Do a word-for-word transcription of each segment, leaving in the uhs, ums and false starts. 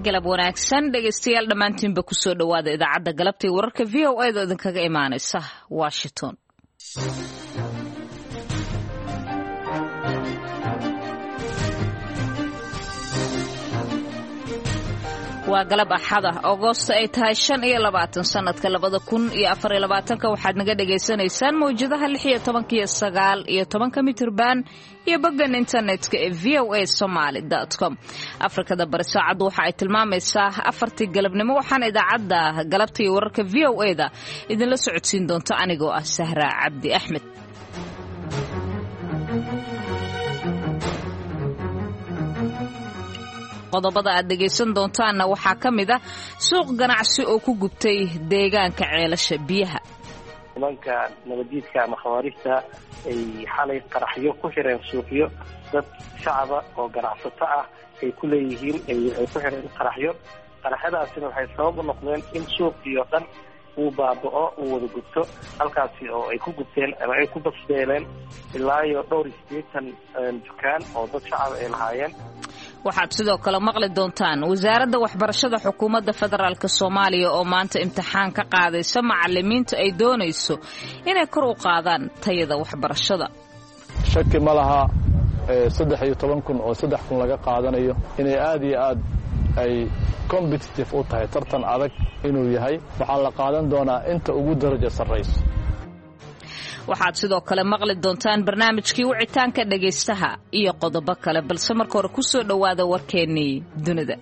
Galab wanaagsan dhegaystayaal dhammaantiinba, kusoo dhowaada idaacadda galabta iyo wararka V O A da idinkaga imaanaysa Washington. Waa galab Axada, Agoosto ay tahay shan iyo labaatan, sanadka labada kun iyo afar iyo labaatanka. Waxaad naga dhagaysanaysaan mawjadaha lix iyo tobanka iyo sagaal iyo tobanka mitirban iyo boggan internetka ee V O A Somaly com. Afrikada Bari saacaddu waxa ay tilmaamaysaa afartii galabnimo. Waxaana idaacadda galabta iyo wararka V O A da idinla socodsiin doonto anigoo ah Sahra Cabdi Axmed. Qodobada aad dhegaysan doontaanna waxaa ka mid ah suuq ganacsi oo ku gubtay deegaanka Ceelasha Biyaha. Nimanka nabadiidka ama khawaarijta ay xalay qaraxyo ku xireen suuqyo dad shacaba oo ganacsato ah ay ku leeyihiin, ay ku xireen qaraxyo. Qaraxyadaasina waxay sabab u noqdeen in suuqii oo dhan uu baaba'o, uu wada gubto, halkaasi oo ay ku gubteen ama ay ku basbeeleen ilaa iyo dhowr iyo siddeetan dukaan oo dad shacaba ay lahaayeen. Waxaad sidoo kale maqli doontaan wasaaradda waxbarashada xukuumadda federaalk Soomaaliya oo maanta imtixaan ka qaadaysa macalimiinta ay doonayso inay kor u qaadaan tayada waxbarashada. Shaki ma laha, saddex iyo toban kun oo saddex kun laga qaadanayo inay aad iyo aad ay competitive u tahay, tartan adag inuu yahay. Waxaa la qaadan doonaa inta ugu darajo sarrayso. Waxaad sidoo kale maqli doontaan barnaamijkii wicitaanka dhegaystaha iyo qodobo kale, balse marka hore ku soo dhowaada warkeennii dunida.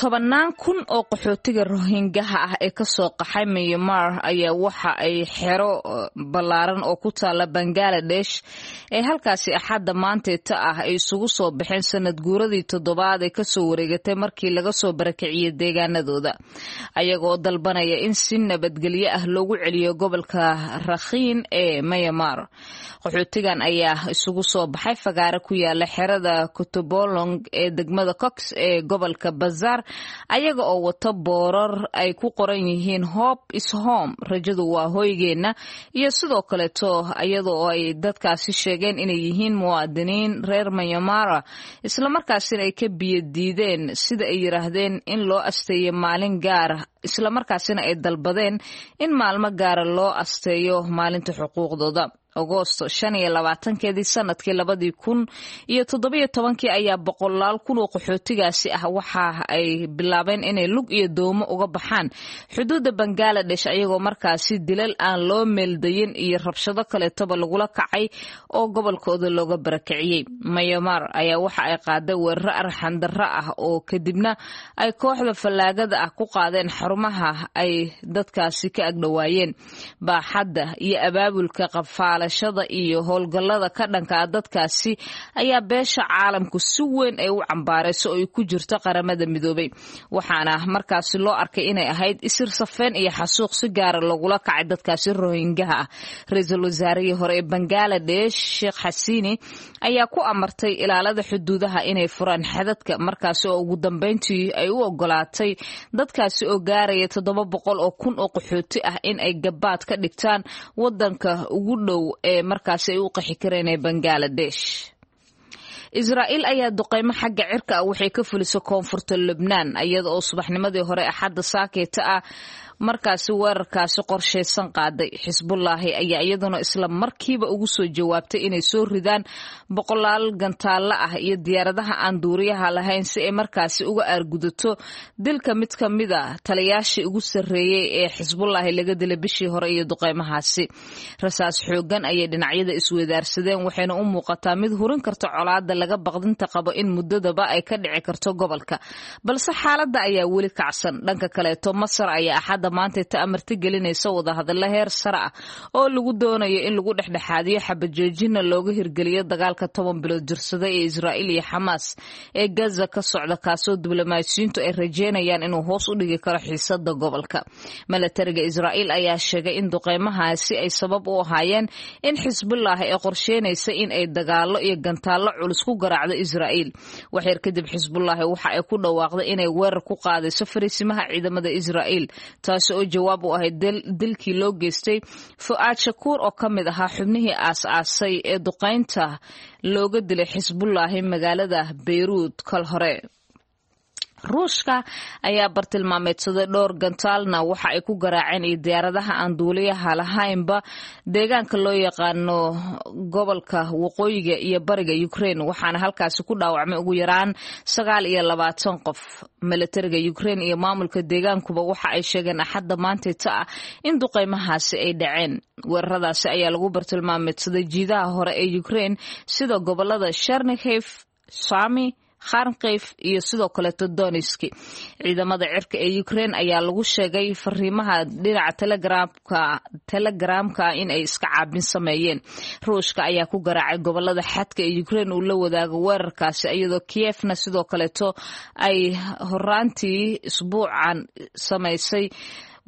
Tobannaan kun oo qaxootiga Rohingaha ah ee kasoo qaxay Myanmar ayaa waxa ay xero ballaaran oo ku taala Bangaladesh ee halkaasi Axadda maanteeta ah ay isugu soo baxeen sanad guuradii toddobaad ee kasoo wareegatay markii laga soo barakiciyey deegaanadooda, ayagoo dalbanaya in si nabadgelyo ah loogu celiyo gobolka Rakhiin ee Myanmar. Qaxootigan ayaa isugu soo baxay fagaare ku yaala xerada Kutupalong ee degmada Cox ee gobolka Bazar, ayaga oo wata boorar ay ku qoran yihiin "Hope is home", rajadu waa hoygeenna, iyo sidoo kaleeto iyada oo ay dadkaasi sheegeen inay yihiin muwaadiniin reer Myanmara, islamarkaasina ay ka biyo diideen, sida ay yiraahdeen, in loo asteeyo maalin gaara, islamarkaasina ay dalbadeen in maalmo gaara loo asteeyo maalinta xuquuqdooda. Agoosto shan iyo labaatankeedii sanadkii labadii kun iyo toddobiyo tobankii ayaa boqolaal kun oo qaxootigaasi ah waxa ay bilaabeen inay lug iyo doomo uga baxaan xuduudda Bangaladesh, ayagoo markaasi dilal aan loo meeldayin iyo rabshado kaleetoba lagula kacay oo gobolkooda looga barakiciyey. Myanmar ayaa waxa ay qaaday weeraro arxandarro ah oo kadibna ay kooxda fallaagada ah ku qaadeen xarumaha ay dadkaasi ka agdhowaayeen. Baaxadda iyo abaabulka qafaala iyo howlgallada ka dhanka ah dadkaasi ayaa beesha caalamku si weyn ay u cambaarayso oo ay ku jirto Qaramada Midoobay, waxaana markaasi loo arkay inay ahayd isir safeen iyo xasuuq si gaara loogula kacay dadkaasi Rohingaha ah. Ra-iisul wasaarihii hore ee Bangaladesh Sheekh Xasiini ayaa ku amartay ilaalada xuduudaha inay furaan xadadka, markaasi oo ugu dambeyntii ay u ogolaatay dadkaasi oo gaaraya toddoba boqol oo kun oo qaxooti ah in ay gabaad ka dhigtaan wadanka ugu dhow ee markaasi ay u qaxi kareen ee Bangaladesh. Israa'iil ayaa duqeymo xagga cirka ah waxay ka fulisay koonfurta Lubnaan, iyada oo subaxnimadii hore Axadda saakeeta ah markaasi weerarkaasi qorshaysan qaaday. Xisbullaahi ayaa iyaduna isla markiiba ugu soo jawaabtay inay soo ridaan boqolaal gantaallo ah iyo diyaaradaha aan duuriyaha lahayn si ay markaasi uga aargudato dilka mid ka mid a taliyaashii ugu sarreeyey ee Xisbullaahi laga dilay bishii hore iyo duqeymahaasi. Rasaas xoogan ayay dhinacyada isweydaarsadeen, waxayna u muuqataa mid hurin karta colaada laga baqdinta qabo in muddadaba ay ka dhici karto gobolka, balse xaaladda ayaa weli kacsan. Dhanka kaleeto, Masar ayaa Axadda maanta ta amarti gelinaysa wadahadallo heer sare ah oo lagu doonayo in lagu dhexdhexaadiyo, xabajoojina looga hirgeliyo dagaalka toban bilood jirsada ee Israa'iil iyo Xamaas ee Gaza ka socda, kaasoo diblomaasiyiintu ay rajeynayaan inuu hoos u dhigi karo xiisada gobolka. Milatariga Israa'iil ayaa sheegay in duqeymahaasi ay sabab u ahaayeen in Xisbullah ay qorsheynaysa in ay dagaallo iyo gantaallo culus ku garaacdo Israa'iil. Waxyar kadib, Xisbullaahi waxa ay ku dhawaaqday inay weerar ku qaadayso fariisimaha ciidamada Israa'iil. Taasi oo jawaab u ahayd dilkii loo geystay Fu'aad Shakuur oo ka mid ahaa xubnihii aas-aasay ee duqaynta looga dilay Xisbullaahi magaalada Beyruud kal hore. Ruushka ayaa bartilmaameedsaday dhowr gantaalna waxa ay ku garaaceen iyo diyaaradaha aan duuliyaha lahaynba deegaanka loo yaqaano gobolka waqooyiga iyo bariga Ukraine, waxaana halkaasi ku dhaawacmay ugu yaraan sagaal iyo labaatan qof. Milatariga Ukraine iyo maamulka deegaankuba waxa ay sheegeen Axadda maantayta ah in duqeymahaasi ay dhaceen. Weeraradaasi ayaa lagu bartilmaameedsaday jiidaha hore ee Ukraine sida gobolada Chernihiv, Sami, Kharkiv iyo sidoo kaleeto Donetsk. Ciidamada cirka ee Ukraine ayaa lagu sheegay fariimaha dhinaca Telegramka Telegramka in ay iska caabin sameeyeen. Ruushka ayaa ku garaacay gobolada xadka ee Ukraine uu la wadaago weerarkaasi, iyadoo Kievna sidoo kaleeto ay horaantii isbuucan samaysay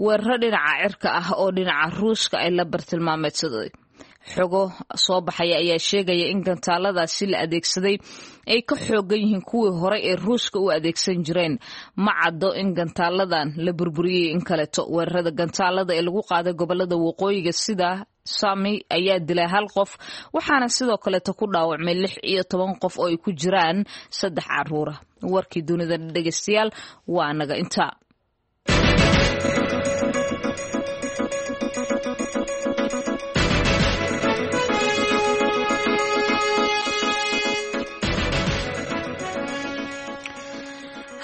weeraro dhinaca cirka ah oo dhinaca Ruushka ay la bartilmaameedsaday. Xogo soo baxaya ayaa sheegaya in gantaaladaasi la adeegsaday ay ka xoogan yihiin kuwii hore ee Ruushka u adeegsan jireen. Ma caddo in gantaaladan la burburiyey in kaleeto. Weerarada gantaalada ee lagu qaaday gobolada waqooyiga sida Sami ayaa dilay hal qof, waxaana sidoo kaleeto ku dhaawacmay lix iyo toban qof oo ay ku jiraan saddex caruura. Warkii dunida dhegeystayaal waa naga intaa.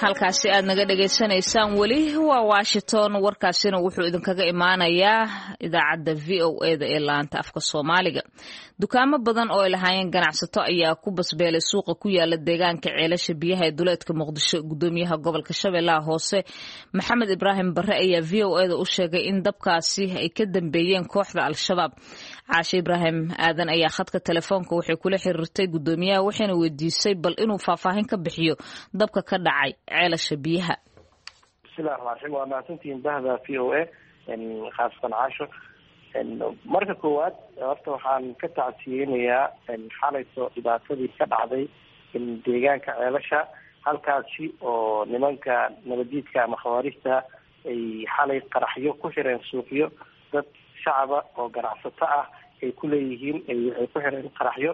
Halkaasi aad naga dhegaysanaysaan weli waa Washington. Warkaasina wuxuu idinkaga imaanayaa idaacadda V O E da ee laanta afka Soomaaliga. Dukaamo badan oo ay lahaayeen ganacsato ayaa ku basbeelay suuqa ku yaala deegaanka Ceelasha Biyaha ee duleedka Muqdisho. Gudoomiyaha gobolka Shabeellaha Hoose Maxamed Ibraahim Barre ayaa V O E da u sheegay in dabkaasi ay ka dambeeyeen kooxda Al-Shabaab. Caashe Ibraahim Aadan ayaa khadka telefoonka waxay kula xiriirtay gudoomiyaha, waxayna weydiisay bal inuu faahfaahin ka bixiyo dabka ka dhacay Ceelasha Biyaha. Bismillahi raxmaan raxiim. Waa mahadsantihiin bahda V O A, khaasatan Caasho. Marka koowaad horta waxaan ka tacsiyeynayaa xalayto dhibaatadii ka dhacday deegaanka Ceelasha, halkaasi oo nimanka nabadiidka ama khawaarijta ay xalay qaraxyo ku xireen suuqyo dad shacaba oo ganacsato ah ay ku leeyihiin, ay ku xireen qaraxyo.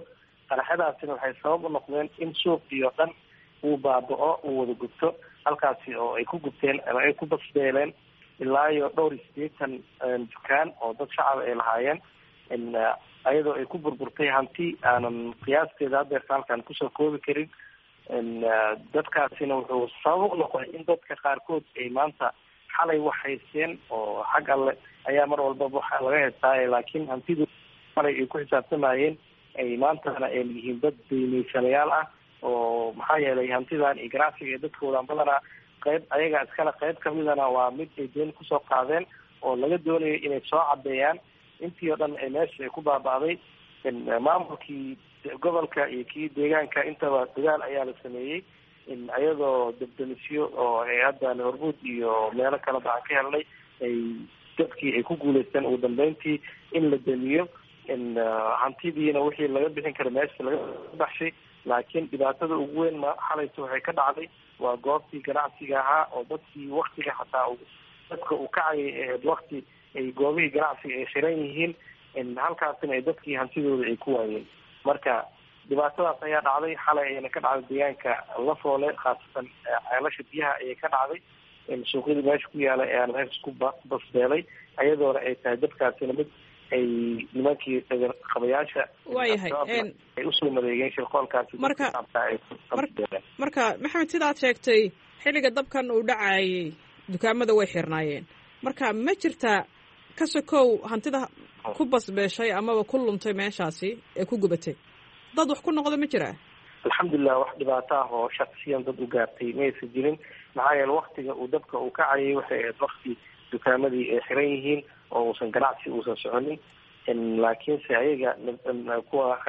Qaraxyadaasina waxay sabab u noqdeen in suuqiyo dhan uu baaba'o, uu wada gubto, halkaasi oo ay ku gubteen ama ay ku basbeeleen ilaa iyo dhowr iyo sideetan dukaan oo dad shacaba ay lahaayeen, ayadoo ay ku burburtay hanti aanan qiyaasteeda hadeerta halkaan kusoo koobi karin. Dadkaasina wuxuu sabab u noqday in dadka qaarkood ay maanta xalay wax haysteen oo xag alle ayaa mar walbaba waxa laga haystaaye, laakiin hantidu xalay ay ku xisaabtamayeen ay maantana ay yihiin dad deymaysanayaal ah, oo maxaa yeelay hantidan iyo ganacsiga ee dadkoodan badanaa qayb ayaga iskale, qayb kamidana waa mid ay deen kusoo qaadeen oo laga doonayo inay soo cadeeyaan. Intii oo dhan ee meesha ay ku baaba'day, maamulkii gobolka iyo kii deegaanka intaba dadaal ayaa la sameeyey, iyadoo dabdamisyo oo hay-addan Hormuud iyo meelo kaleba aan ka helnay ay dadkii ay ku guuleysteen ugu dambeyntii in la damiyo hantidiina wixii laga bixin kara meesha laga baxshay. Laakiin dhibaatada ugu weyn ma xalayto waxay ka dhacday waa goobtii ganacsiga ahaa oo dadkii waktiga xataa dadka uu kacayay ahayd wakti ay goobihii ganacsiga ay xiran yihiin, halkaasina ay dadkii hantidooda ay ku waayeen. Marka dhibaatadaas ayaa dhacday xalay, ayana ka dhacday deegaanka Lafoole, khaasatan Ceelasha Biyaha ayay ka dhacday. Suuqyadii meesha ku yaala ayaana meesha ku basbeelay, ayadoona ay tahay dadkaasina mid ay nimankii qabayaasha Waayahay ay usoo madeegeen shirqoolkaasi. Marka marka Maxamed, sidaad sheegtay, xilliga dabkan uu dhacayay dukaamada way xirnaayeen. Marka ma jirtaa, ka sokow hantida ku basbeeshay amaba ku luntay meeshaasi ee ku gubatay, dad wax ku noqda ma jiraa? Alxamdulilah, wax dhibaato ah oo shaksiyan dad u gaartay maysa jirin, maxaa yeele waktiga uu dabka uu kacayay waxay ahayd wakti dukaamadii ay xiran yihiin oo uusan ganacsi uusan soconin. Laakiinse ayaga kuwa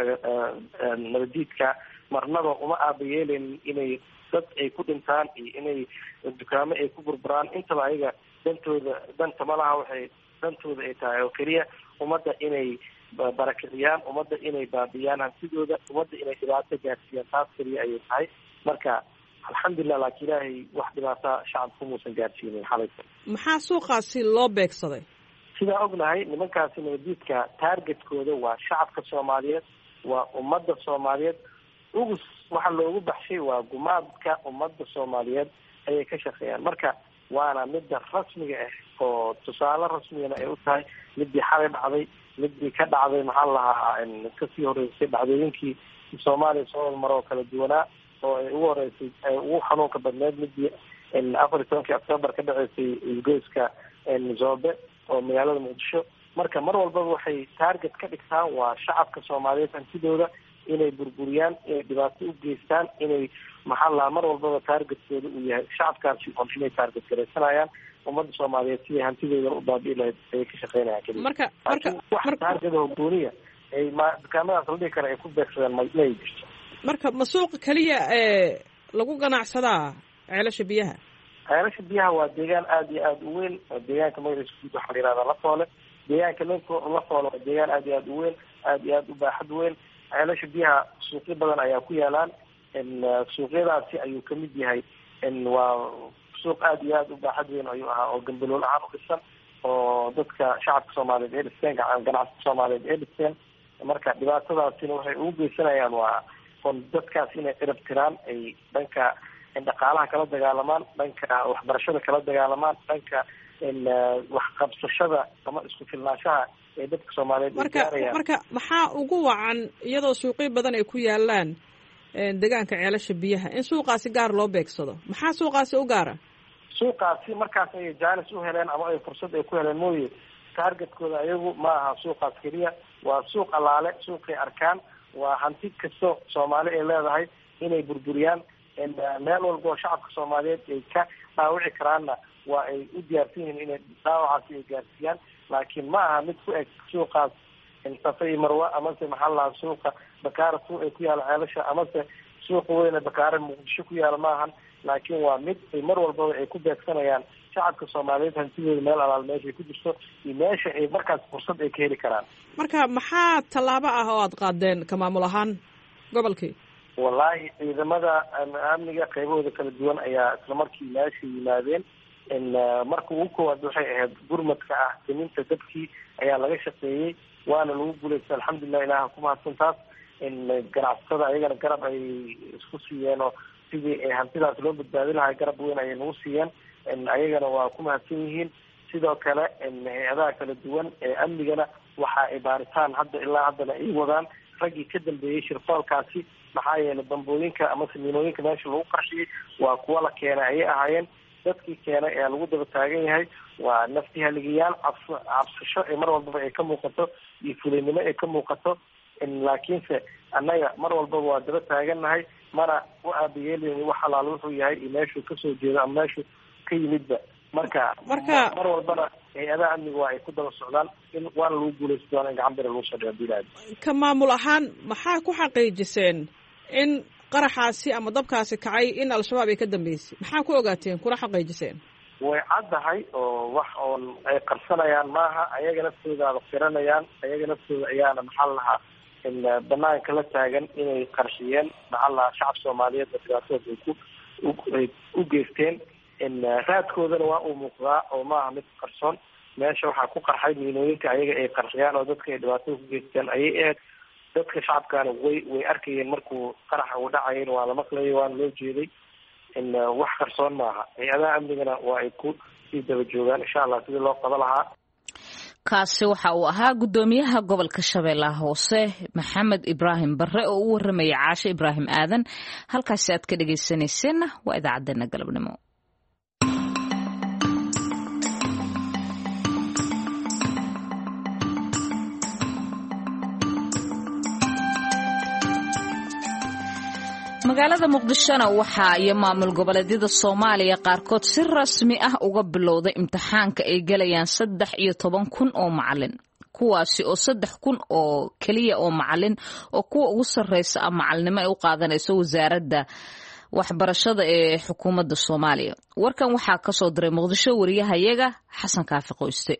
nabadiidka marnaba uma aabayeeleynin inay dad ay ku dhintaan iyo inay dukaamo ay ku burburaan intaba. Ayaga dantooda danta ma laha, waxay dantooda ay tahay oo keliya ummadda inay barakiciyaan, ummadda inay baabiyaan hantidooda, ummadda inay dhibaato gaarsiiyaan, taas keliya ayay tahay. Marka Alxamdulilah, laakiin ilaahay wax dhibaata shacabku muusan gaarsiinin xalay. Maxaa suuqaasi loo beegsaday? Sidaa ognahay, nimankaasi nabadiidka taargetkooda waa shacabka Soomaaliyeed, waa ummadda Soomaaliyeed. Ugus waxa loogu baxshay waa gumaadka ummadda Soomaaliyeed ayay ka shaqeeyaan. Marka waana midda rasmiga ah oo tusaale rasmigana ay u tahay midii xalay dhacday, midii ka dhacday maxaa lahaa kasii horeysay, dhacdooyinkii Soomaaliya soo hormaro oo kala duwanaa oo ay ugu horeysay, ay ugu xanuunka badneed midii afar iyo tobankii Octoobar ka dhaceysay isgoyska Zoobe oo magaalada Muqdisho. Marka mar walbaba waxay taarget ka dhigtaan waa shacabka Soomaaliyeed, hantidooda inay burburiyaan, inay dhibaato u geystaan, inay maxaa lahaa mar walbaba taargetkooda uu yahay shacabkaasi on inay taarget garaysanayaan ummadda Soomaaliyeed siday hantidooda u baabi'i lahayd ayay ka shaqeynayaan keliya. Marka marka wax taargetaho gooniya ay ma dukaamadaas la dhihi kara ay ku beegsadeen ma may jirto. Marka ma suuqa keliya ee lagu ganacsadaa Ceelasha Biyaha? Ceelasha Biyaha waa deegaan aada iyo aada u weyn. Deegaanka magaciisa guud waxaa la yihahdaa Lafoole. Deegaanka Lafoole waa deegaan aada iyo aada u weyn, aada iyo aada u baaxad weyn. Ceelasha Biyaha suuqyo badan ayaa ku yaalaan, suuqyadaasi ayuu kamid yahay. Waa suuq aada iyo aada u baaxad weyn ayuu ahaa oo gambalool ahaan u dhisan oo dadka shacabka Soomaaliyeed ay dhisteen, ganacsatada Soomaaliyeed ay dhisteen. Marka dhibaatadaasina waxay ugu geysanayaan waa on dadkaas inay cirab tiraan, ay dhanka dhaqaalaha kala dagaalamaan, dhanka waxbarashada kala dagaalamaan, dhanka waxqabsashada ama isku filnaanshaha ee dadka Soomaaliyeed. Marka marka maxaa ugu wacan, iyadoo suuqyo badan ay ku yaalaan deegaanka Ceelasha Biyaha, in suuqaasi gaar loo beegsado? Maxaa suuqaasi u gaara? Suuqaasi markaas ayay jaanis u heleen ama ay fursad ay ku heleen mooye, taargetkooda ayagu ma aha suuqaas keliya. Waa suuq allaale suuqay arkaan, waa hanti kasto Soomaali ay leedahay inay burburiyaan. Meel walba oo shacabka Soomaaliyeed ay ka dhaawici karaanna waa ay u diyaarsan yihiin inay dhaawacaasi ay gaarsiiyaan, laakiin ma aha mid ku eg suuqaas Safa iyo Marwa amase maxaa lahaa suuqa Bakaara suuq ay ku yaala Ceelasha amase suuqa weyne Bakaare Muqdisho ku yaala maahan, laakiin waa mid ay mar walbaba ay ku beegsanayaan shacabka Soomaaliyeed hantidooda meel alaal meeshay ku jirto iyo meesha ay markaas fursad ay ka heli karaan. Marka maxaa tallaabo ah oo aada qaadeen ka maamul ahaan gobolkii? Wallaahi, ciidamada amniga qaybahooda kala duwan ayaa isla markii meesha yimaadeen. Marka ugu koowaad waxay ahayd gurmadka ah daminta dabkii ayaa laga shaqeeyey, waana lagu guulaystay, alxamdulilah, ilaah ku mahadsan taas. Ganacsatada ayagana garab ay isku siiyeen oo sidii hantidaas loo badbaadi lahaa garab weyn ayay nagu siiyeen, ayagana waa ku mahadsan yihiin. Sidoo kale hay-adaha kala duwan ee amnigana waxa ay baaritaan hadda ilaa haddana ay wadaan raggii ka dambeeyey shirqoolkaasi, maxaa yeelay bambooyinka amase miinooyinka meesha lagu qarxiyey waa kuwa la keenay ayay ahaayeen. Dadkii keenay ayaa lagu daba taagan yahay. Waa nafti haligayaal cabs cabsasho ee mar walbaba ay ka muuqato iyo fulinimo ay ka muuqato, laakiinse annaga mar walbaba waa daba taagannahay, mana u aabayeeleyni wax alaal wuxuu yahay iyo meeshuu kasoo jeedo ama meeshuu ka yimidba. Marka marka mar walbana hay-adaha amniga waa ay ku daba socdaan in waana lagu guuleysta doona in gacan bira lagu soo dhigo dilaad. Ka maamul ahaan maxaa ku xaqiijiseen in qaraxaasi ama dabkaasi kacay in Al-Shabaab ay ka dambeysay? Maxaa ku ogaateen kuna xaqiijiseen? Way caddahay oo wax oon ay qarsanayaan maaha. Ayaga naftoodaaba qiranayaan, ayaga naftooda ayaana maxaa lahaa banaanka la taagan inay qarxiyeen maxaa lahaa shacab Soomaaliyeed oo dhibaatooda ay ku ay u geysteen. Raadkoodana waa uu muuqdaa oo maaha mid qarsoon. Meesha waxaa ku qarxay miinooyinka ayaga ay qarxiyaan oo dadka ay dhibaatada ku geysteen ayay ahayd. Dadka shacabkaana way way arkayeen markuu qaraxa uu dhacayen, waa la maqlayay, waana loo jeeday. Wax qarsoon maaha. Hay-adaha amnigana waa ay ku sii daba joogaan insha Allah sidii loo qaba lahaa. Kaasi waxa uu ahaa guddoomiyaha gobolka Shabeellaha Hoose Maxamed Ibraahim Barre oo u warramayay Caashe Ibraahim Aadan. Halkaasi aad ka dhegaysanayseena waa idaacaddeenna galabnimo. Magaalada Muqdishona waxaa iyo maamul goboleedyada Soomaaliya qaarkood si rasmi ah uga bilowday imtixaanka ay galayaan saddex iyo toban kun oo macalin, kuwaasi oo saddex kun oo keliya oo macalin oo kuwa ugu sarreysa ah macalinimo ay u qaadanayso wasaaradda waxbarashada ee xukuumadda Soomaaliya. Warkan waxaa kasoo diray Muqdisho wariyahayaga Xasan Kaafi Qoyste.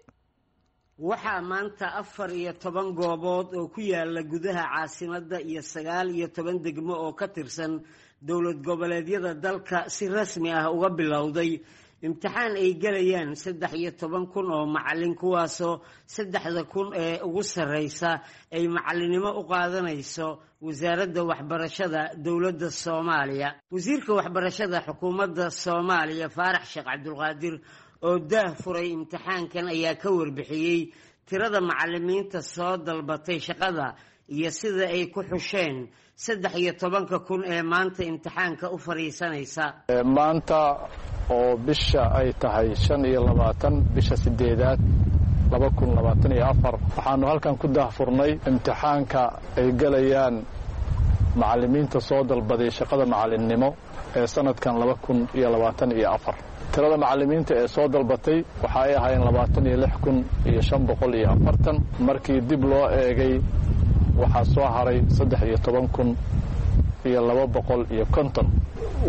Waxaa maanta afar iyo toban goobood oo ku yaala gudaha caasimadda iyo sagaal iyo toban degmo oo ka tirsan dowlad goboleedyada dalka si rasmi ah uga bilowday imtixaan ay gelayaan saddex iyo toban kun oo macallin, kuwaasoo saddexda kun ee ugu sarreysa ay macallinnimo u qaadanayso wasaaradda waxbarashada dowladda Soomaaliya. Wasiirka waxbarashada xukuumadda Soomaaliya Faarax Sheekh Cabdulqaadir oo daah furay imtixaankan ayaa ka warbixiyey tirada macallimiinta soo dalbatay shaqada iyo sida ay ku xusheen saddex iyo tobanka kun ee maanta imtixaanka u fadhiisanaysa. Maanta oo bisha ay tahay shan iyo labaatan bisha sideedaad laba kun labaatan iyo afar, waxaanu halkan ku daahfurnay imtixaanka ay gelayaan macallimiinta soo dalbaday shaqada macallinnimo ee sanadkan laba kun iyo labaatan iyo afar. Tirada macallimiinta ee soo dalbatay waxa ay ahaayeen labaatan iyo lix kun iyo shan boqol iyo afartan. Markii dib loo eegay waxaa soo haray saddex iyo toban kun iyo laba boqol iyo konton.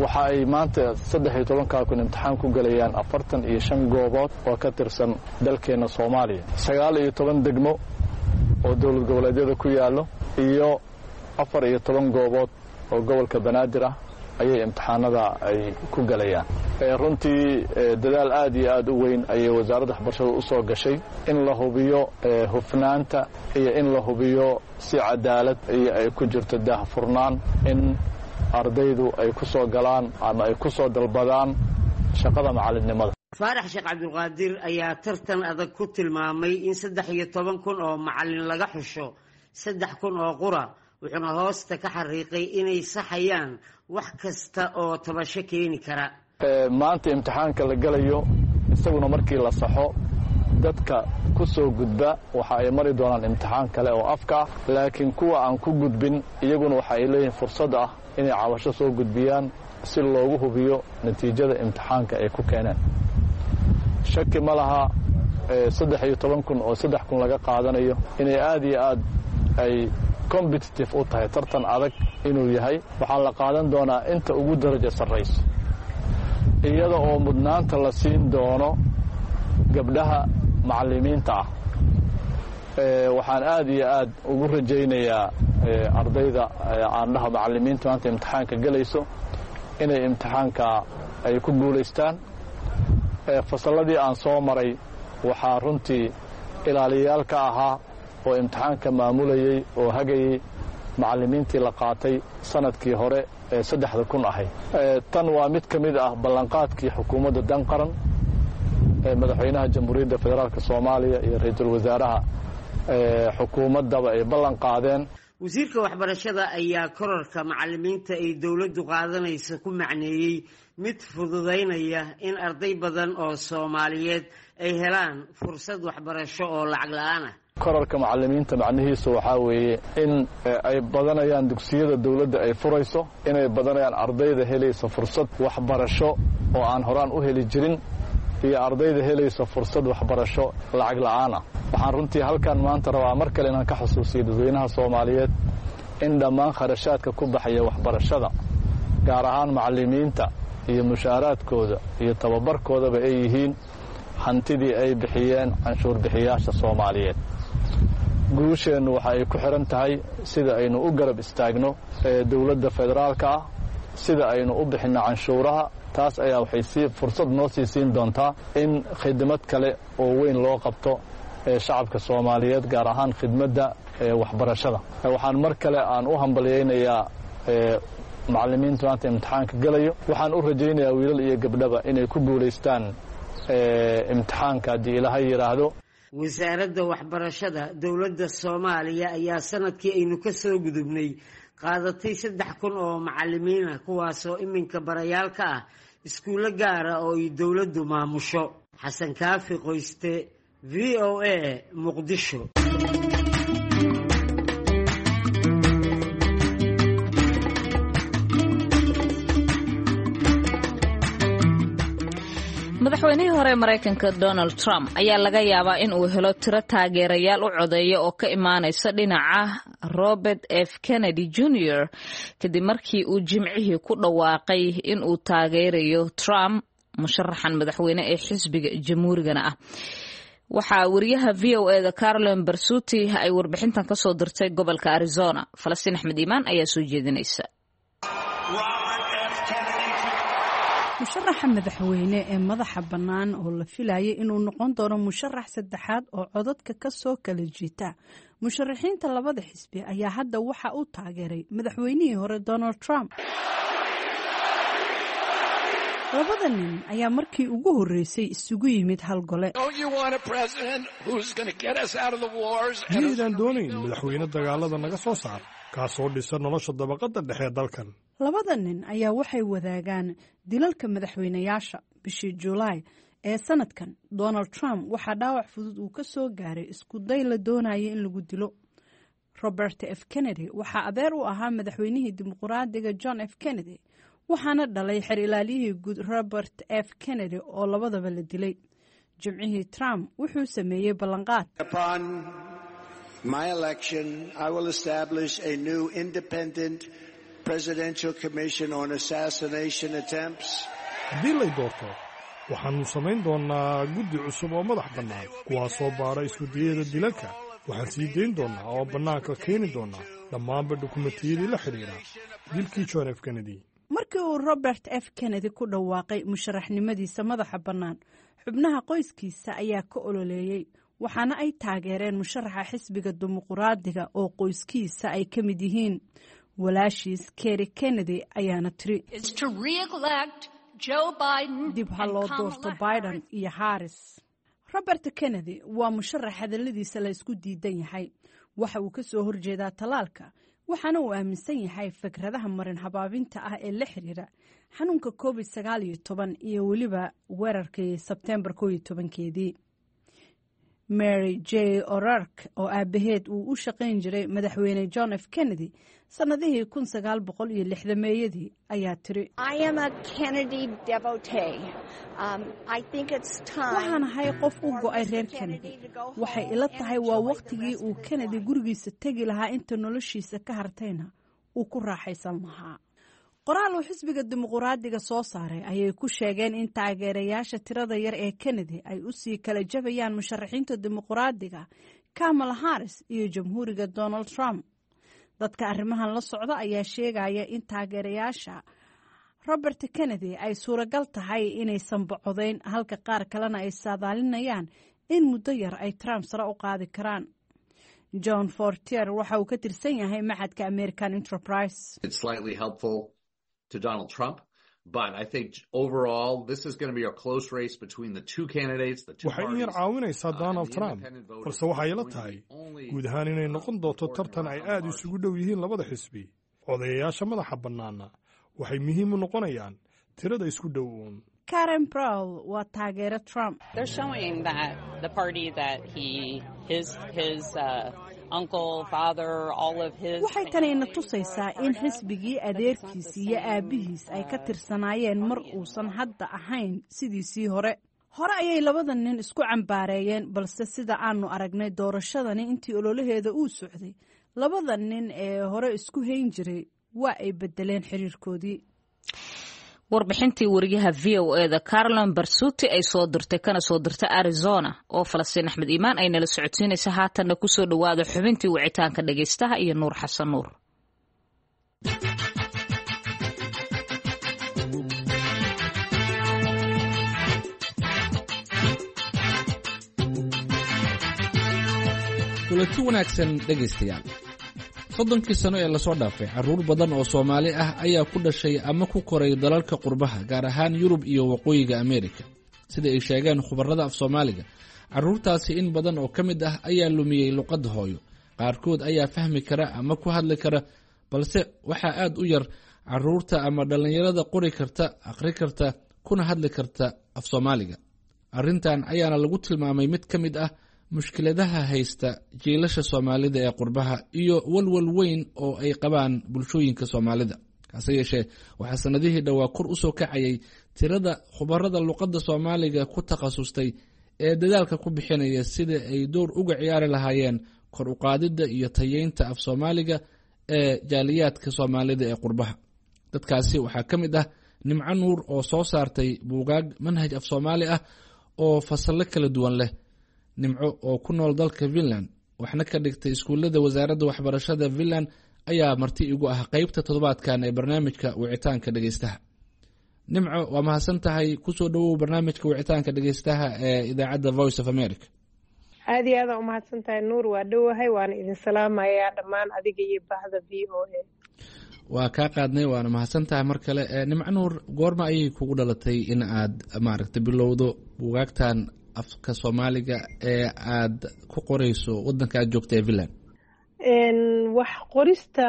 Waxa ay maanta saddex iyo tobankaa kun imtixaan ku gelayaan afartan iyo shan goobood oo ka tirsan dalkeenna Soomaaliya, sagaal iyo toban degmo oo dowlad goboleedyada ku yaallo iyo afar iyo toban goobood oo gobolka Banaadir ah ayay imtixaanada ay ku gelayaan. Runtii dadaal aad iyo aad u weyn ayay wasaaradda waxbarashada u soo gashay in la hubiyo hufnaanta iyo in la hubiyo si cadaalad iyo ay ku jirto daahfurnaan in ardaydu ay ku soo galaan ama ay ku soo dalbadaan shaqada macallinnimada. Faarax Sheekh Cabdulqaadir ayaa tartan adag ku tilmaamay in saddex iyo toban kun oo macallin laga xusho saddex kun oo qura, wuxuuna hoosta ka xariiqay inay saxayaan wax kasta oo tabasho keeni kara. Maanta imtixaanka la gelayo isaguna markii la saxo dadka ku soo gudba waxa ay mari doonaan imtixaan kale oo afka ah, laakiin kuwa aan ku gudbin iyaguna waxa ay leeyihiin fursad ah inay cabasho soo gudbiyaan si loogu hubiyo natiijada imtixaanka ay ku keeneen. Shaki ma laha saddex iyo toban kun oo saddex kun laga qaadanayo inay aad iyo aad ay competitive u tahay, tartan adag inuu yahay. Waxaa la qaadan doonaa inta ugu darajo sarrayso, iyada oo mudnaanta la siin doono gabdhaha macallimiinta ah. Waxaan aad iyo aad ugu rajaynayaa ardayda aandhaha macallimiinta maanta imtixaanka gelayso inay imtixaanka ay ku guulaystaan. Fasalladii aan soo maray waxaa runtii ilaaliyayaal ka ahaa oo imtixaanka maamulayey oo hagayey macallimiintii la qaatay sanadkii hore ee saddexda kun ahayd. Tan waa mid ka mid ah ballanqaadkii xukuumadda danqaran ee madaxweynaha Jamhuuriyadda Federaalka Soomaaliya iyo ra-iisul wasaaraha xukuumaddaba ay ballan qaadeen. Wasiirka waxbarashada ayaa korarka macallimiinta ay dowladdu qaadanaysa ku macneeyey mid fududaynaya in arday badan oo Soomaaliyeed ay helaan fursad waxbarasho oo lacag la'aan ah. Korarka macallimiinta macnihiisu waxaa weeye in ay badanayaan dugsiyada dowladda ay furayso, inay badanayaan ardayda helaysa fursad waxbarasho oo aan horaan u heli jirin, iyo ardayda helaysa fursad waxbarasho lacag la'aan ah. Waxaan runtii halkan maanta rabaa mar kale inaan ka xusuusiyo dadweynaha Soomaaliyeed in dhammaan kharashaadka ku baxaya waxbarashada, gaar ahaan macallimiinta iyo mushaaraadkooda iyo tababarkoodaba, ay yihiin hantidii ay bixiyeen canshuur bixiyaasha Soomaaliyeed. Guusheennu waxa ay ku xidhan tahay sida aynu u garab istaagno dowladda federaalka ah, sida aynu u bixinno canshuuraha. Taas ayaa waxay sii fursad noo sii siin doontaa in khidmad kale oo weyn loo qabto shacabka Soomaaliyeed, gaar ahaan khidmadda waxbarashada. Waxaan mar kale aan u hambalyaynayaa macallimiinta maanta imtixaanka gelayo. Waxaan u rajaynayaa wiilal iyo gabdhaba inay ku guulaystaan imtixaanka haddii Ilaahay yidhaahdo. Wasaaradda waxbarashada dowladda Soomaaliya ayaa sanadkii aynu ka soo gudubnay qaadatay saddex kun oo macallimiin ah, kuwaasoo iminka barayaal ka ah iskuullo gaara oo ay dowladdu maamusho. Xasan Kaafi Qoyste, V O A, Muqdisho. Madaxweynihii hore Maraykanka Donald Trump ayaa laga yaabaa in uu helo tiro taageerayaal u codeeya oo ka imaanaysa dhinaca Robert F Kennedy Junior kadib markii uu Jimcihii ku dhawaaqay in uu taageerayo Trump, musharaxan madaxweyne ee xisbiga Jamhuurigana ah. Waxaa wariyaha V O E da Carolin Barsuti ay warbixintan kasoo dirtay gobolka Arizona. Falastiin Axmed Iimaan ayaa soo jeedinaysa. Musharaxa madaxweyne ee madaxa bannaan oo la filayay inuu noqon doono musharax saddexaad oo codadka ka soo kala jiita musharaxiinta labada xisbi ayaa hadda waxa uu taageeray madaxweynihii hore Donald Trump. Labada nin ayaa markii ugu horreysay isugu yimid hal gole. Miyaydaan doonayn madaxweyne dagaalada naga soo saar, kaasoo dhisa nolosha dabaqadda dhexe ee dalkan? Labada nin ayaa waxay wadaagaan dilalka madaxweynayaasha. Bishii Julaay ee sanadkan, Donald Trump waxaa dhaawac fudud uu ka soo gaaray isku day la doonaya in lagu dilo. Robert F Kennedy waxaa adeer u ahaa madaxweynihii dimuqraadiga John F Kennedy, waxaana dhalay xer ilaaliyihii guud Robert F Kennedy oo labadaba la dilay. Jimcihii Trump wuxuu sameeyey ballanqaad. Upon my election, I will establish a new independent presidential commission on assassination attempts. Haddii lay doorto, waxaannu samayn doonnaa guddi cusub oo madax bannaan, kuwaasoo baara iskudayada dilalka. Waxaan sii dayn doonnaa oo bannaanka keeni doonnaa dhammaanba dukumentiyadii la xidhiidha dilkii John F Kennedy. Markii uu Robert F Kennedy ku dhawaaqay musharaxnimadiisa madaxa bannaan, xubnaha qoyskiisa ayaa ka ololeeyey, waxaana ay taageereen musharaxa xisbiga dimuqraadiga oo qoyskiisa ay ka mid yihiin. Walaashiis Kerry Kennedy ayaana tiri, "Dib ha loo doorto Biden iyo Harris." Robert Kennedy waa musharax hadalladiisa la isku diidan yahay. Waxa uu ka soo horjeedaa tallaalka, waxaana uu aaminsan yahay fikradaha marin habaabinta ah ee la xiriira xanuunka Covid sagaal iyo toban iyo weliba weerarkii Sebteembar koo iyo tobankeedii. Mary J O'Rourke, oo aabaheed uu u shaqayn jiray madaxweyne John F Kennedy sannadihii kun sagaal boqol iyo lixdameeyadii, ayaa tiri, "Waxaan ahay qof u go'ay reer Kennedy. Waxay ila tahay waa wakhtigii uu Kennedy gurigiisa tegi lahaa, inta noloshiisa ka hartayna uu ku raaxaysan lahaa." Qoraal uu xisbiga dimuqraadiga soo saaray ayay ku sheegeen in taageerayaasha tirada yar ee Kennedy ay usii kala jabayaan musharaxiinta dimuqraadiga Kamala Harris iyo jamhuuriga Donald Trump. Dadka arrimahan la socda ayaa sheegaya in taageerayaasha Robert Kennedy ay suuragal tahay inaysan bocodayn, halka qaar kalena ay saadaalinayaan in muddo yar ay Trump sare u qaadi karaan. John Fortier waxa uu ka tirsan yahay maxadka American Enterprise. It's slightly helpful to Donald Trump. But I think overall, this is going to be a close race between the two candidates, the two Waxay in yar parties. caawinaysaa Donald Trump, balse waxay ila tahay guud ahaan inay noqon doonto tartan ay aad isugu dhow yihiin labada xisbi. Odayayaasha madaxa bannaanna waxay muhiim u noqonayaan tirada isku dhow uun. Karen Browl waa taageero Trump. They're showing that the party that he, his, his uh, uncle, father, all of his. Waxay tani ina tusaysaa in xisbigii adeerkiis iyo aabbihiis ay ka tirsanaayeen mar uusan hadda ahayn sidiisii hore. Hore ayay labada nin isku cambaareeyeen, balse sida aanu aragnay doorashadani intii ololaheeda uu socday, labada nin ee hore isku hayn jiray waa ay bedeleen xiriirkoodii. Warbixintii wariyaha V O E da Carolin Barsuti ay soo dirtay kana soo dirtay Arizona oo Falastiin Axmed Iimaan ay nala socodsiinaysa. Haatanna kusoo dhowaada xubintii wicitaanka dhagaystaha iyo Nuur Xasan Nuur. Kulanti wanaagsan, dhegaystayaal. Soddonkii sano ee lasoo dhaafay, carruur badan oo Soomaali ah ayaa ku dhashay ama ku koray dalalka qurbaha, gaar ahaan Yurub iyo Waqooyiga Ameerika. Sida ay sheegeen khubarada af Soomaaliga, carruurtaasi in badan oo ka mid ah ayaa lumiyey luqadda hooyo. Qaarkood ayaa fahmi kara ama ku hadli kara, balse waxaa aad u yar carruurta ama dhallinyarada qori karta, akhri karta, kuna hadli karta af Soomaaliga. Arrintan ayaana lagu tilmaamay mid ka mid ah mushkiladaha haysta jiilasha Soomaalida ee qurbaha iyo walwal weyn oo ay qabaan bulshooyinka Soomaalida. Hase yeeshee, waxaa sanadihii dhowaa kor usoo kacayay tirada khubarada luqadda Soomaaliga ku takhasustay ee dadaalka ku bixinaya sida ay door uga ciyaari lahaayeen kor u qaadidda iyo tayeynta af Soomaaliga ee jaaliyaadka Soomaalida ee qurbaha. Dadkaasi waxaa ka mid ah Nimco Nuur oo soo saartay buugaag manhaj af Soomaali ah oo fasallo kala duwan leh. Nimco oo ku nool dalka Finland waxna ka dhigtay iskuullada wasaaradda waxbarashada Finland ayaa marti igu ah qeybta toddobaadkan ee barnaamijka wicitaanka dhegeystaha. Nimco, waa mahadsan tahay, kusoo dhowow barnaamijka wicitaanka dhegeystaha ee idaacadda Voice of America. Aad iyo aadaan umahadsan tahay Nuur, waa dhowahay, waana idin salaamayaa dhammaan adiga iyo bahda V O A. Waa kaa qaadnay, waana mahadsan tahay mar kale. Nimco Nuur, goorma ayay kugu dhalatay in aad maaragtay bilowdo buugaagtan afka Soomaaliga ee aad ku qoreyso wadanka aad joogta ee Finland? Wax qorista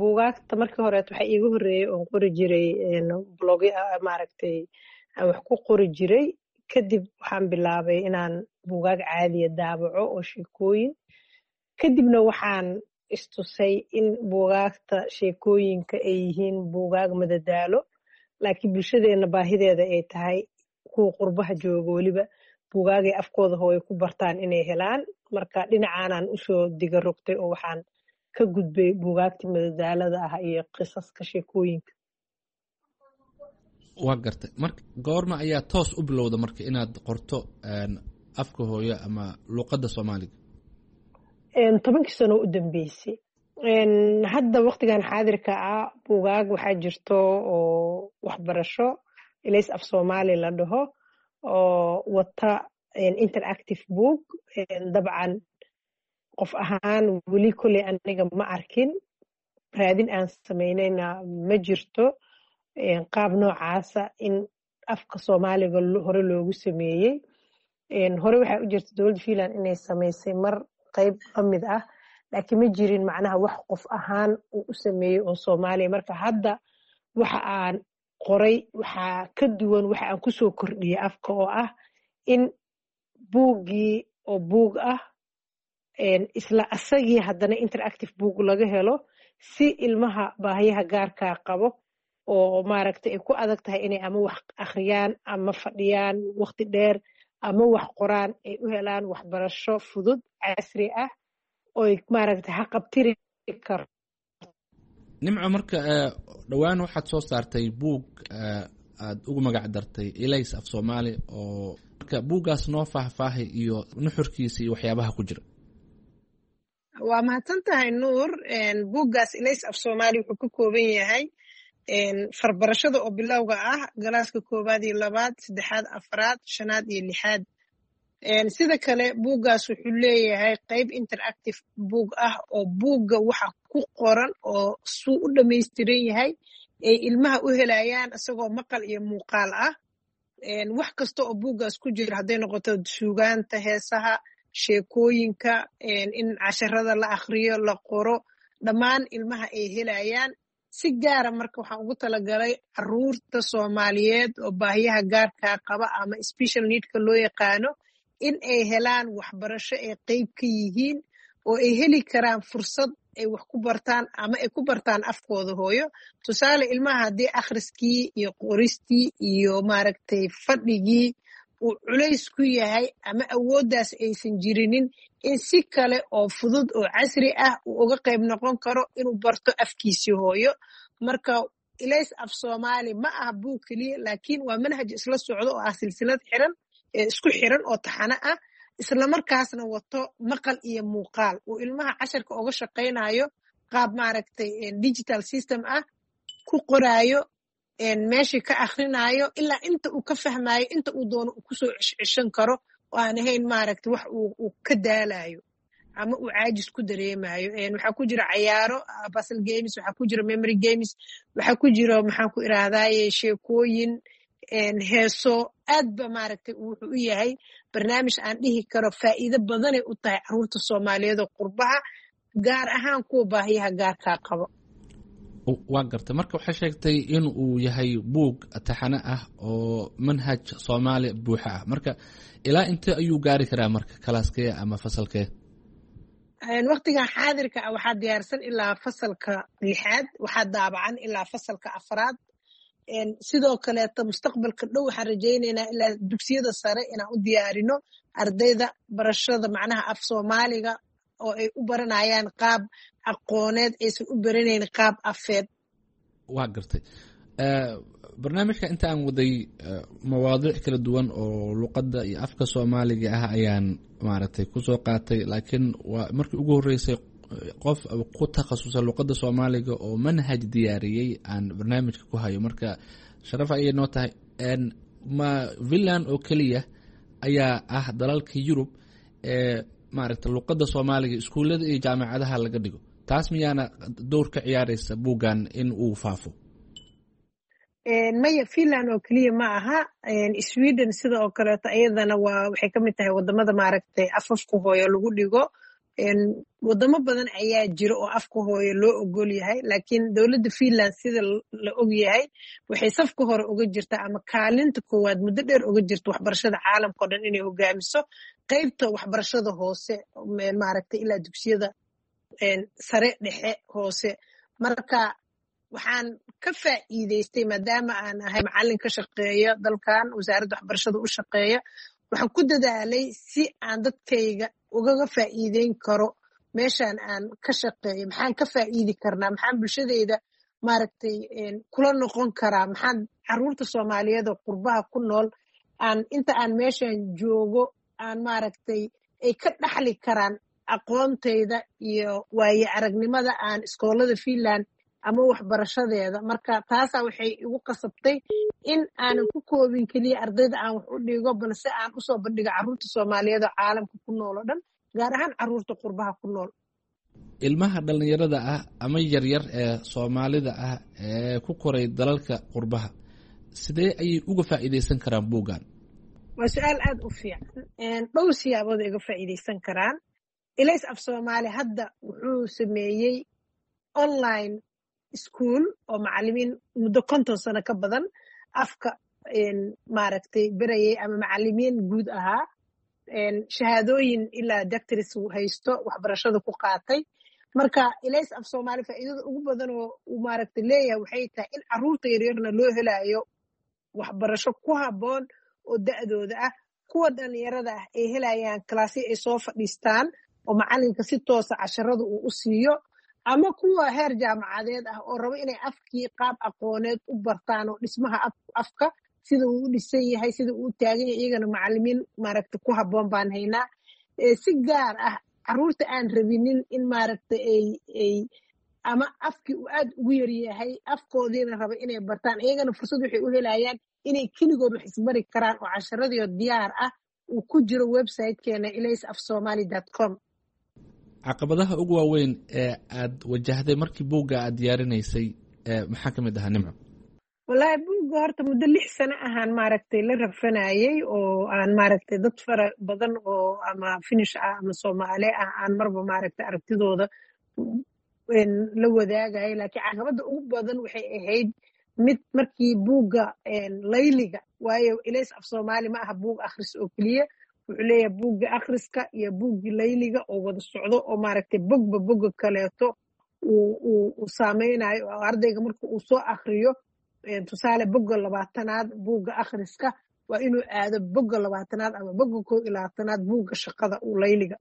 buugaagta markii horeet waxaa iiga horreeyey oon qori jiray blogyo, maaragtay aan wax ku qori jiray. Kadib waxaan bilaabay inaan buugaag caadiya daabaco oo sheekooyin. Kadibna waxaan istusay in buugaagta sheekooyinka ay yihiin buugaag madadaalo, laakiin bulshadeenna baahideeda ay tahay kuwa qurbaha jooga weliba buugaagay afkooda hooyo ku bartaan inay helaan. Marka dhinacaanaan usoo diga rogtay oo waxaan ka gudbay buugaagta madadaalada ah iyo qisaska sheekooyinka. Waa gartay. Marka goorma ayaa toos u bilowda marka inaad qorto afka hooyo ama luqadda Soomaaliga? Tobankii sano u dambeysay. Hadda waqtigan xaadirka ah buugaag waxaa jirto oo waxbarasho Ilays af Soomaali la dhaho oo wata interactive book. Dabcan qof ahaan weli kolley aniga ma arkin, raadin aan samaynayna ma jirto qaab noocaasa in afka Soomaaliga hore loogu sameeyey. Hore waxaa u jirta dowladda Finland inay samaysay mar qayb ka mid ah, laakiin ma jirin macnaha wax qof ahaan uu u sameeyey oo Soomaaliya. Marka hadda waxa aan qoray waxaa ka duwan waxa aan kusoo kordhiyey afka oo ah in buuggii oo buug ah isla asagii haddana interactive book laga helo si ilmaha baahiyaha gaarkaa qabo oo maaragtay ay ku adag tahay inay ama wax akhriyaan ama fadhiyaan waqti dheer ama wax qoraan ay u helaan waxbarasho fudud casri ah oy maaragtay haqabtiri karo. Nimco, marka dhowaan waxaad soo saartay buug aad ugu magac dartay Ilays af Soomaali, oo marka buuggaas noo faahfaahay iyo nuxurkiisa iyo waxyaabaha ku jira. Waa mahadsan tahay Nuur. Buuggaas Ilays af Soomaali wuxuu ka kooban yahay farbarashada oo bilowga ah, galaaska koowaad iyo labaad, saddexaad, afraad, shanaad iyo lixaad. Sida kale buuggaas wuxuu leeyahay qayb interactive buug ah oo buugga waxa ku qoran oo suu u dhamaystiran yahay ay ilmaha u helayaan isagoo maqal iyo muuqaal ah. Wax kasta oo buuggaas ku jira, hadday noqoto suugaanta, heesaha, sheekooyinka, in casharada la akhriyo, la qoro, dhammaan ilmaha ay helayaan. Si gaara marka waxaan ugu talagalay caruurta Soomaaliyeed oo baahiyaha gaarkaa qaba ama special needka loo yaqaano in ay helaan waxbarasho ay qeyb ka yihiin oo ay heli karaan fursad ay wax ku bartaan ama ay ku bartaan afkooda hooyo. Tusaale, ilmaha haddii akhriskii iyo qoristii iyo maaragtay fadhigii uu culays ku yahay ama awooddaas aysan jirinin, in si kale oo fudud oo casri ah uu uga qayb noqon karo inuu barto afkiisii hooyo. Marka Ilays af Soomaali ma aha buug keliya, laakiin waa manhaj isla socdo oo ah silsilad xiran isku xiran oo taxano ah, islamarkaasna wato maqal iyo muuqaal uu ilmaha casharka uga shaqaynayo qaab maaragtay digital system ah ku qoraayo, meeshii ka akhrinayo ilaa inta uu ka fahmayo, inta uu doono uu kusoo ceshceshan karo oo aan ahayn maaragtay wax uu ka daalayo ama uu caajis ku dareemayo. Waxaa ku jira cayaaro, puzzle games, waxaa ku jira memory games, waxaa ku jira maxaan ku irahdaye sheekooyin, heeso. Aad ba maaragtay wuxuu u yahay barnaamij aan dhihi karo faa'iido badanay u tahay caruurta Soomaaliyeed oo qurbaha, gaar ahaan kuwa baahiyaha gaarkaa qabo. Waa gartay. Marka waxay sheegtay in uu yahay buug taxane ah oo manhaj Soomaali buuxa ah. Marka ilaa intee ayuu gaari karaa marka kalaaskee ama fasalkee? Waqtigan xaadirka ah waxaa diyaarsan ilaa fasalka lixaad, waxaa daabacan ilaa fasalka afraad. Sidoo kaleeto mustaqbalka dhow waxaan rajaynaynaa ilaa dugsiyada sare inaan u diyaarino ardayda barashada macnaha af Soomaaliga oo ay u baranayaan qaab aqooneed, aysan u baranayn qaab afeed. Waa gartay. Barnaamijka inta aan waday mawaadiic kala duwan oo luqadda iyo afka soomaaliga ah ayaan maaragtay kusoo qaatay, laakiin waa markii ugu horreysay qof ku takhasusa luqadda soomaaliga oo manhaj diyaariyey aan barnaamijka ku hayo. Marka sharaf ayay noo tahay. Ma Finland oo keliya ayaa ah dalalka Yurub ee maaragtay luqadda soomaaliga iskuullada iyo jaamacadaha laga dhigo? Taas miyaana dowr ka ciyaareysa buuggan in uu faafo? Maya, Finland oo keliya ma aha. Sweden sida oo kaleeto iyadana waa waxay ka mid tahay wadamada maaragtay afafka hooyo lagu dhigo. Wadamo badan ayaa jira oo afka hooyo loo ogol yahay, laakiin dowladda Finland sida la og yahay waxay safka hore uga jirtaa ama kaalinta koowaad muddo dheer uga jirta waxbarashada caalamka o dhan inay hogaamiso qeybta waxbarashada hoose, maaragtay ilaa dugsiyada sare, dhexe, hoose. Marka waxaan ka faa'iideystay, maadaama aan ahay macallin ka shaqeeya dalkan, wasaaradda waxbarashada u shaqeeya, waxaan ku dadaalay si aan dadkayga ugaga faa'iideyn karo meeshaan aan ka shaqeeyo. Maxaan ka faa'iidi karnaa? Maxaan bulshadayda maaragtay kula noqon karaa? Maxaan caruurta soomaaliyeed oo qurbaha ku nool aan inta aan meeshan joogo aan maaragtay ay ka dhaxli karaan aqoontayda iyo waaye aragnimada aan iskoolada Finland ama waxbarashadeeda? Marka taasaa waxay igu qasabtay in aanan ku koobin keliya ardayda aan wax u dhigo, balse aan usoo bandhigo carruurta soomaaliyeed oo caalamka ku nool oo dhan, gaar ahaan carruurta qurbaha ku nool. Ilmaha dhallinyarada ah ama yaryar ee soomaalida ah ee ku koray dalalka qurbaha, sidee ayay uga faa'iideysan karaan buuggan? Waa su-aal aad u fiican. Dhowr siyaabood ay uga faa'iideysan karaan. Ilays af Soomaali hadda wuxuu sameeyey online school oo macalimiin muddo konton sano ka badan afka maaragtay berayay ama macalimiin guud ahaa, shahaadooyin ilaa doctors haysto, waxbarashada ku qaatay. Marka Ilays af Soomaali faa'iidada ugu badan oo uu maaragtay leeyahay waxay tahay in carruurta yaryarna loo helayo waxbarasho ku habboon oo da'dooda ah, kuwa dhalinyarada ah ay helayaan kalaasyo ay soo fadhiistaan oo macalinka si toosa casharada uu u siiyo, ama kuwa heer jaamacadeed ah oo rabo inay afkii qaab aqooneed u bartaan oo dhismaha afka sida uu u dhisan yahay, sida uu u taagan yahay, iyagana macalimiin maaragta ku habboon baan haynaa. Si gaar ah carruurta aan rabinin in maaragta ay ay ama afkii uu aad ugu yaryahay, afkoodiina raba inay bartaan, iyagana fursad waxay u helayaan inay keligood wax isbari karaan oo casharadiio diyaar ah uu ku jiro websitekeena ilays af somali dot com. Caqabadaha ugu waaweyn ee aad wajahday markii buugga aad diyaarinaysay maxaa ka mid ahaa, Nimco? Wallaahi buugga horta muddo lix sano ahaan maaragtay la rafanayay oo aan maaragtay dad fara badan oo ama Finish ah ama Soomaali ah aan marba maaragtay aragtidooda la wadaagaya. Laakiin caqabadda ugu badan waxay ahayd mid markii buugga layliga, waayo Ilays af Soomaali ma aha buug akhris oo keliya, wuxuu leeyahay buugga akhriska iyo buuggii layliga oo wada socdo oo maaragtay bogba bogga kaleeto uu uu saameynayo oo ardayga marka uu soo akhriyo, tusaale bogga labaatanaad buugga akhriska, waa inuu aado bogga labaatanaad ama bogga koo iyo labaatanaad buugga shaqada uu layliga.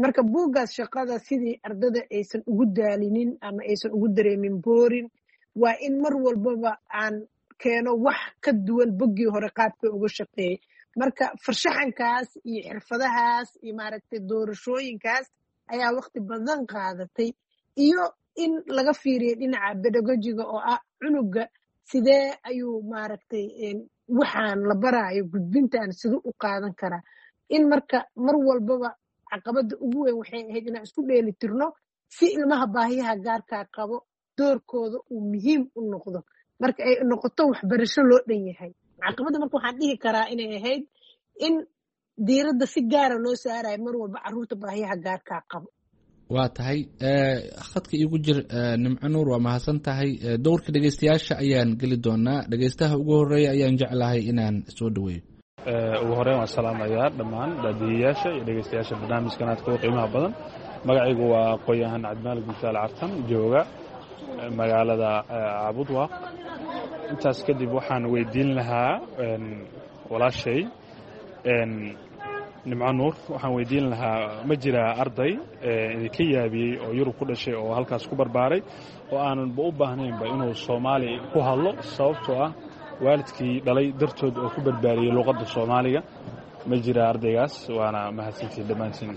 Marka buuggaas shaqada sidii ardada aysan ugu daalinin ama aysan ugu dareemin boorin, waa in mar walbaba aan keeno wax ka duwan boggii hore qaabka uga shaqeeyey. Marka farshaxankaas iyo xirfadahaas iyo maaragtay doorashooyinkaas ayaa waqti badan qaadatay, iyo in laga fiiriyo dhinaca pedagogiga oo ah cunuga sidee ayuu maaragtay waxaan la baraayo gudbintan siduu u qaadan karaa. In marka mar walbaba caqabadda ugu weyn waxay ahayd inaan isku dheeli tirno si ilmaha baahiyaha gaarkaa qabo doorkooda uu muhiim u noqdo marka ay noqoto waxbarasho loo dhan yahay. Caqabadda marka waxaan dhihi karaa inay ahayd in diiradda si gaara loo saarayo mar walba carruurta baahiyaha gaarkaa qabo. Waa tahay, khadka iigu jir Nimco Nuur, waa mahadsan tahay. Dowrka dhegeystayaasha ayaan geli doonaa. Dhegeystaha ugu horeeya ayaan jeclahay inaan soo dhaweeyo. Ugu horeyn waan salaamayaa dhammaan daadihiyaasha iyo dhegeystayaasha barnaamijkan aadka u qiimaha badan. Magacaygu waa aqoon-yahan Cabdimaalig Musaal Cartan, jooga magaalada Cabudwaaq. Intaas kadib waxaan weydiin lahaa walaashay Nimco Nuur. Waxaan weydiin lahaa, ma jiraa arday idinka yaabiyey oo Yurub ku dhashay oo halkaas ku barbaaray oo aananba u baahnaynba inuu Soomaali ku hadlo, sababtoo ah waalidkii dhalay dartood oo ku barbaariyey luuqadda Soomaaliga? Ma jiraa ardaygaas? Waana mahadsantihin dhammaantiin.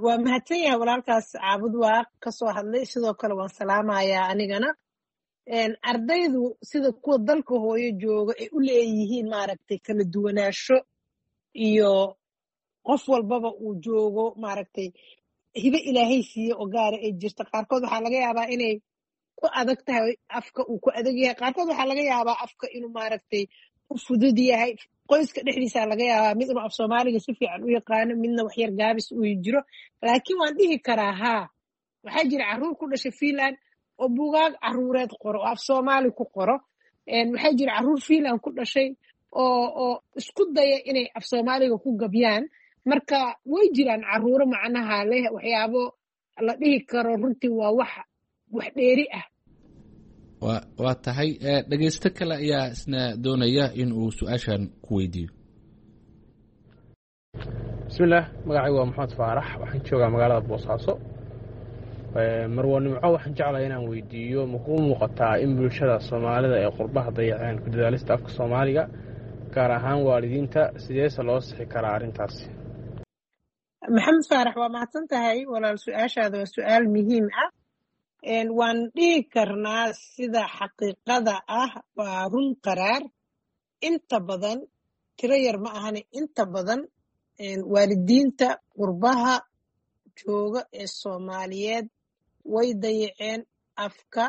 Waa mahadsan yahay walaalkaas Caabud Waaq ka soo hadlay. Sidoo kale waan salaamayaa anigana. Ardaydu sida kuwa dalka hooyo jooga ay u leeyihiin maaragtay kala duwanaansho, iyo qof walbaba uu joogo maaragtay hibe Ilaahay siiye oo gaara ay jirta. Qaarkood waxaa laga yaabaa inay ku adag tahay afka, uu ku adag yahay. Qaarkood waxaa laga yaabaa afka inuu maaragtay u fudud yahay. Qoyska dhexdiisa laga yaabaa mid inuu af Soomaaliga si fiican u yaqaano, midna waxyar gaabis uu jiro. Laakiin waan dhihi karaa haa, waxaa jira carruur ku dhashay Finland oo buugaag carruureed qoro oo af Soomaali ku qoro. Waxaa jira carruur Finland ku dhashay oo oo isku daya inay af Soomaaliga ku gabyaan. Marka way jiraan carruuro macnaha leh waxyaabo la dhihi karo runtii waa wax wax dheeri ah. Wa waa tahay. Dhegeysto kale ayaa isna doonaya in uu su-aashan ku weydiiyo. Bismillaah, magacaygu waa Maxamed Faarax, waxaan joogaa magaalada Boosaaso. Marwo Nimco, waxaan jeclahay inaan weydiiyo, ma kuu muuqataa in bulshada Soomaalida ee qurbaha dayaceen ku dadaalista afka Soomaaliga, gaar ahaan waalidiinta? Sideese loo sixi karaa arrintaasi? Maxamed Faarax, waa mahadsan tahay walaal. Su-aashaada waa su-aal muhiim ah. Waan dhihi karnaa sida xaqiiqada ah waa run qaraar. Inta badan, tiro yar ma ahane, inta badan waalidiinta qurbaha jooga ee Soomaaliyeed way dayaceen afka,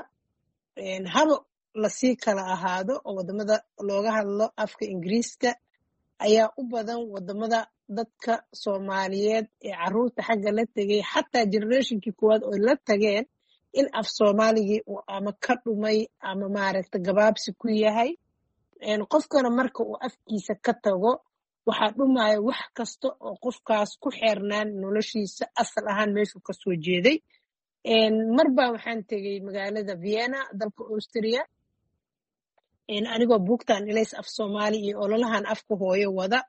haba lasii kala ahaado oo waddamada looga hadlo afka Ingiriiska ayaa u badan. Waddamada dadka Soomaaliyeed ee carruurta xagga la tegay, xataa generationkii koowaad oo la tageen, in af Soomaaligii uu ama ka dhumay ama maaragta gabaabsi ku yahay. Qofkana marka uu afkiisa ka tago, waxaa dhumaya wax kasta oo qofkaas ku xeernaan noloshiisa asal ahaan meeshuu kasoo jeeday. Marbaa waxaan tegey magaalada Vienna, dalka Austria, anigoo buugtan Ilays af Soomaali iyo ololahan afka hooyo wada.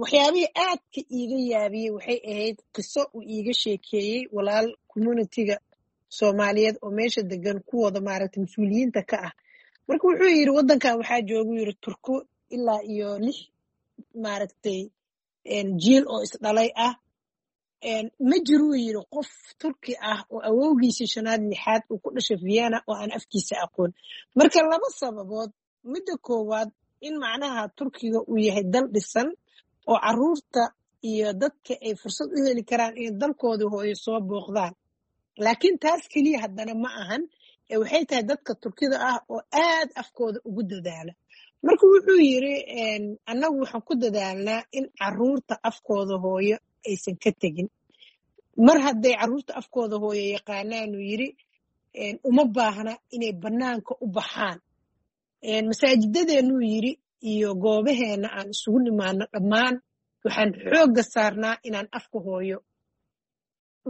Waxyaabihii aadka iiga yaabiyey waxay ahayd qiso uu iiga sheekeeyey walaal communitiga Soomaaliyeed oo meesha degan, kuwooda maaragta mas-uuliyiinta ka ah. Marka wuxuu yidhi, waddankan waxaa joogu yidhi Turko ilaa iyo lix maaragtay jiil oo isdhalay ah. Ma jiruu yidhi qof Turki ah oo awowgiisii shanaad lixaad uu ku dhashay Vienna oo aan afkiisa aqoon. Marka laba sababood: midda koowaad, in macnaha Turkiga uu yahay dal dhisan oo carruurta iyo dadka ay fursad u heli karaan inay dalkooda hooyo soo booqdaan. Laakiin taas keliya haddana ma ahan ee waxay tahay dadka Turkida ah oo aad afkooda ugu dadaala. Marka wuxuu yidhi, annagu waxaan ku dadaalnaa in carruurta afkooda hooyo aysan ka tegin. Mar hadday carruurta afkooda hooyo yaqaanaanuu yidhi, uma baahna inay bannaanka u baxaan. Masaajidadeenuu yidhi iyo goobaheenna aan isugu nimaano dhammaan, waxaan xoogga saarnaa inaan afka hooyo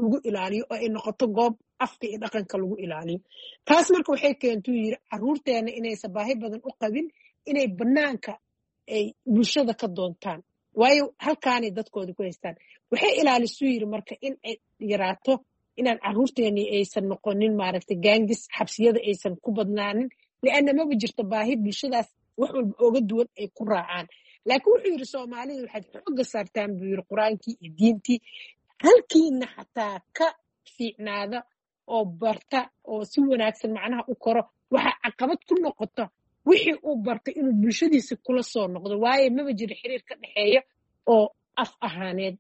lagu ilaaliyo oo ay noqoto goob afka iyo dhaqanka lagu ilaaliyo. Taas marka waxay keentuu yidhi carruurteena inaysan baahi badan u qabin inay bannaanka ay bulshada ka doontaan, waayo halkaanay dadkooda ku haystaan. Waxay ilaalisuu yidhi marka in ay yaraato inaan carruurteeni aysan noqonin maaragtay gaangis, xabsiyada aysan ku badnaanin, lianna maba jirto baahi bulshadaas wax walba ooga duwan ay ku raacaan. Laakiin wuxuu yidhi, Soomaalida waxaad xoogga saartaan buu yidhi Qur-aankii iyo diintii, halkiina xataa ka fiicnaada oo barta oo si wanaagsan macnaha u koro, waxaa caqabad ku noqota wixii uu bartay inuu bulshadiisa kula soo noqdo, waayo maba jiro xiriir ka dhexeeya oo af ahaaneed.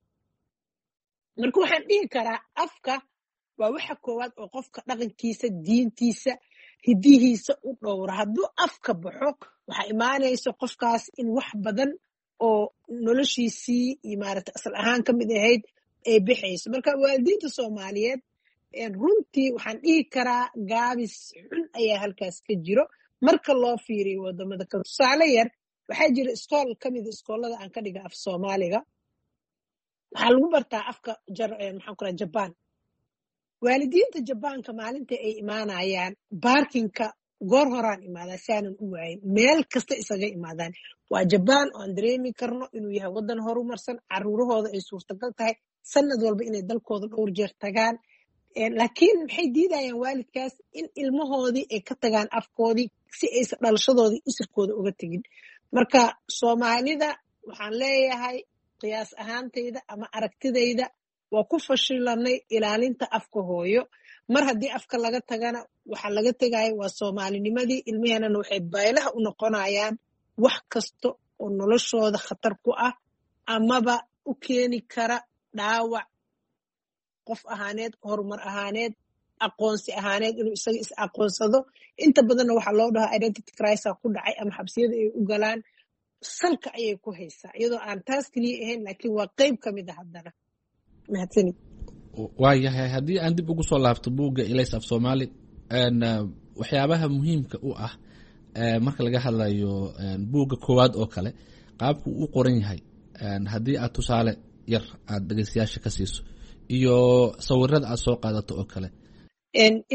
Marka waxaan dhihi karaa afka waa waxa koowaad oo qofka dhaqankiisa, diintiisa, hidihiisa u dhowra. Hadduu afka baxo, waxaa imaanaysa qofkaas in wax badan oo noloshiisii iyo maaragta asal ahaan ka mid ahayd ay bixayso. Marka waalidiinta Soomaaliyeed runtii waxaan dhihi karaa gaabis xun ayaa halkaas ka jiro marka loo fiiriyo wadamada kale. Tusaale yar, waxaa jira iskool ka mida iskoolada aan ka dhiga af Soomaaliga, waxaa lagu bartaa afka maxaan ku raha Jabaan. Waalidiinta Jabaanka maalinta ay imaanayaan baarkinka Goor horaan imaadaa si aanan u waayin. Meel kasta isaga imaadaan. Waa Jabaan oo aan dareemi karno inuu yahay waddan horumarsan, caruurahooda ay suurtagal tahay sanad walba inay dalkooda dhowr jeer tagaan. Laakiin maxay diidayaan waalidkaas in ilmahoodii ay ka tagaan afkoodii si aysan dhalashadoodii isirkooda uga tegin? Marka Soomaalida waxaan leeyahay, qiyaas ahaantayda ama aragtidayda, waa ku fashilanay ilaalinta afka hooyo. Mar haddii afka laga tagana, waxa laga tegaya waa Soomaalinimadii. Ilmaheenana waxay baylaha u noqonayaan wax kasta oo noloshooda khatar ku ah amaba u keeni kara dhaawac qof ahaaneed, horumar ahaaneed, aqoonsi ahaaneed, inuu isaga is aqoonsado. Inta badanna waxaa loo dhahaa identity crisis ku dhacay ama xabsiyada ay u galaan salka ayay ku haysaa, iyadoo aan taas keliya ahayn, laakiin waa qeyb ka mid a haddana. Mahadsanid. Waayahay, haddii aan dib ugu soo laabto buugga Ilays af Soomaali, waxyaabaha muhiimka u ah marka laga hadlayo buugga koowaad oo kale, qaabku u qoran yahay, haddii aad tusaale yar aad dhegeystayaasha ka siiso, iyo sawirada aad soo qaadato oo kale.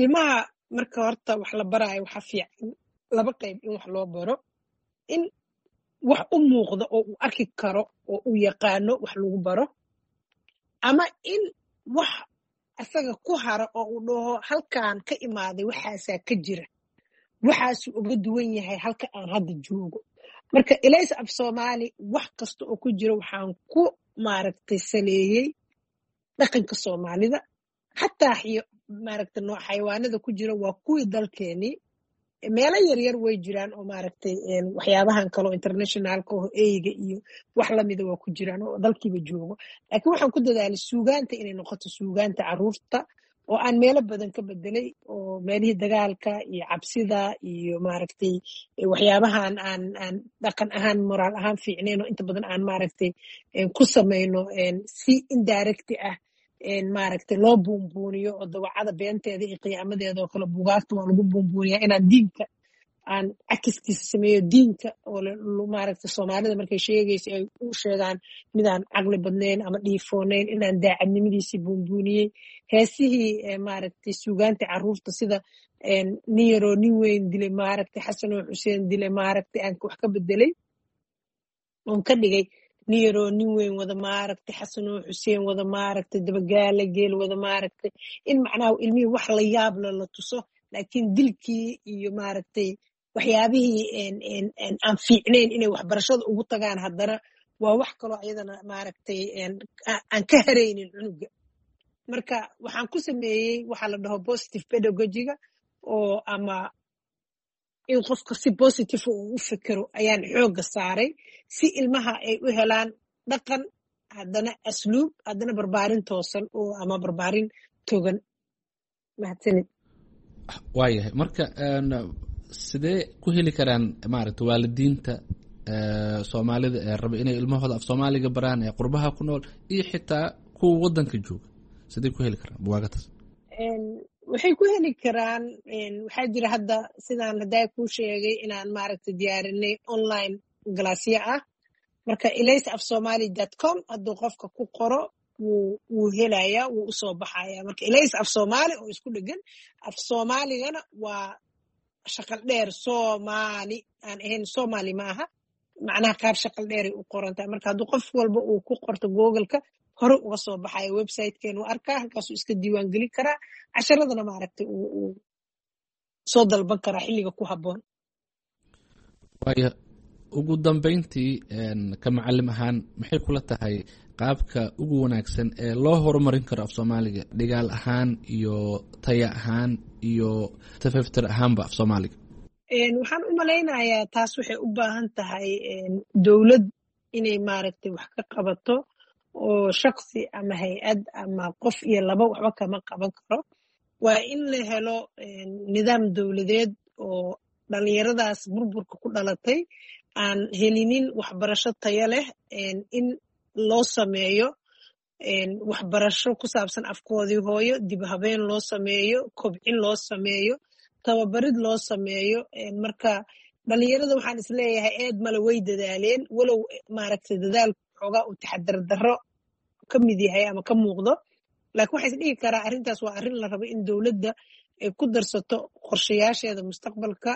Ilmaha marka horta wax la baraayo, waxa fiican laba qayb in wax loo baro: in wax u muuqda oo uu arki karo oo uu yaqaano wax lagu baro, ama in wax asaga ku hara oo uu dhaho halkaan ka imaaday waxaasaa ka jira, waxaasuu uga duwan yahay halka aan hadda joogo. Marka Ilays af Soomaali wax kasta oo ku jira waxaan ku maaragtay saleeyey dhaqanka Soomaalida. Xataa maaragtay nooc xayawaanada ku jira waa kuwii dalkeenii. Meelo yaryar way jiraan oo maaragtay waxyaabahan kaleo internationalka oo eyga iyo wax lamida waa ku jiraan oo dalkiiba joogo, laakiin waxaan ku dadaalay suugaanta inay noqoto suugaanta caruurta oo aan meelo badan ka bedelay, oo meelihii dagaalka iyo cabsida iyo maaragtay waxyaabahan aan aan dhaqan ahaan, moraal ahaan fiicnayn oo inta badan aan maaragtay ku samayno si indirect ah maaragtay loo buunbuuniyo, oo dawacada beenteeda iyo qiyaamadeeda oo kale buugaagta waa lagu buunbuuniyaa, inaan diinka aan cakiskiisa sameeyo, diinka oo maaragtay Soomaalida markay sheegayso ay u sheegaan midaan caqli badnayn ama dhiifoonayn, inaan daacadnimadiisii buunbuuniyey. Heesihii maaragtay suugaanta caruurta sida nin yaroo nin weyn dilay, maaragtay Xasanoo Xuseen dilay, maaragtay aan wax ka bedelay oon ka dhigay nin yaroo nin weyn wada, maaragtay Xasanoo Xuseen wada, maaragtay dabagaala geel wada, maaragtay in macnaha ilmihii wax la yaabla la tuso, laakiin dilkii iyo maaragtay waxyaabihii aan fiicnayn inay waxbarashada ugu tagaan haddana waa wax kaloo iyadana maaragtay aan ka haraynin cunuga. Marka waxaan ku sameeyey waxaa la dhaho positive pedagogiga, oo ama in qofka si positive uu u fikero ayaan xoogga saaray, si ilmaha ay u helaan dhaqan, haddana asluub, haddana barbaarin toosan oo ama barbaarin togan. Mahadsanid. Waayahay, marka sidee ku heli karaan maaragta waalidiinta Soomaalida ee raba inay ilmahooda af Soomaaliga baraan ee qurbaha ku nool iyo xitaa kuwa waddanka jooga, sidee ku heli karaan buwaagataas? Waxay ku heli karaan, waxaa jira hadda sidaan haddaa kuu sheegay inaan maaragtay diyaarinay online galaasyo ah. Marka ilays af somali dot com hadduu qofka ku qoro wuu wuu helayaa, wuu usoo baxaya. Marka Ilays af Soomaali oo isku dhegan, af Soomaaligana waa shaqal dheer, Soomaali aan ahayn Soomaali ma aha, macnaha qaab shaqal dheeray u qorantahay. Marka hadduu qof walba uu ku qorto Googleka hore uga soo baxayo websitekeenu arkaa, halkaasuu iska diiwaan gelin karaa, casharadana maaragtay uu uu soo dalban karaa xilliga ku habboon. Waaya, ugu dambeyntii, ka macalim ahaan, maxay kula tahay qaabka ugu wanaagsan ee loo horumarin karo af Soomaaliga, dhigaal ahaan iyo taya ahaan iyo tafaftir ahaanba af Soomaaliga? Waxaan u malaynayaa taas waxay u baahan tahay dowlad inay maaragtay wax ka qabato, oo shaksi ama hay-ad ama qof iyo laba waxba kama qaban karo. Waa in la helo nidaam dowladeed oo dhalinyaradaas burburka ku dhalatay aan helinin waxbarasho tayo leh in loo sameeyo waxbarasho ku saabsan afkoodii hooyo, dib habeen loo sameeyo, kobcin loo sameeyo, tababarid loo sameeyo. Marka dhalinyarada waxaan isleeyahay eed male, way dadaaleen, walow maaragtay dadaalku xoogaa uu taxadar darro ka mid yahay ama ka muuqdo, laakiin waxaa is dhihi karaa arrintaas waa arrin la rabo in dowladda ay ku darsato qorshayaasheeda mustaqbalka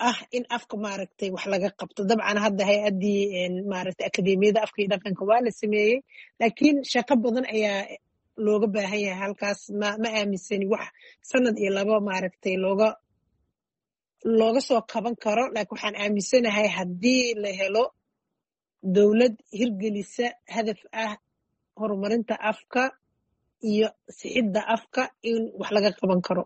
ah in afka maaragtay wax laga qabto. Dabcan hadda hay-addii maaragtay akademiyada afka iyo dhaqanka waa la sameeyey, laakiin shaqo badan ayaa looga baahan yahay halkaas. Ma ma aaminsani wax sanad iyo labo maaragtay looga looga soo kaban karo, laakiin waxaan aaminsanahay haddii la helo dowlad hirgelisa hadaf ah horumarinta afka iyo sixidda afka in wax laga qaban karo.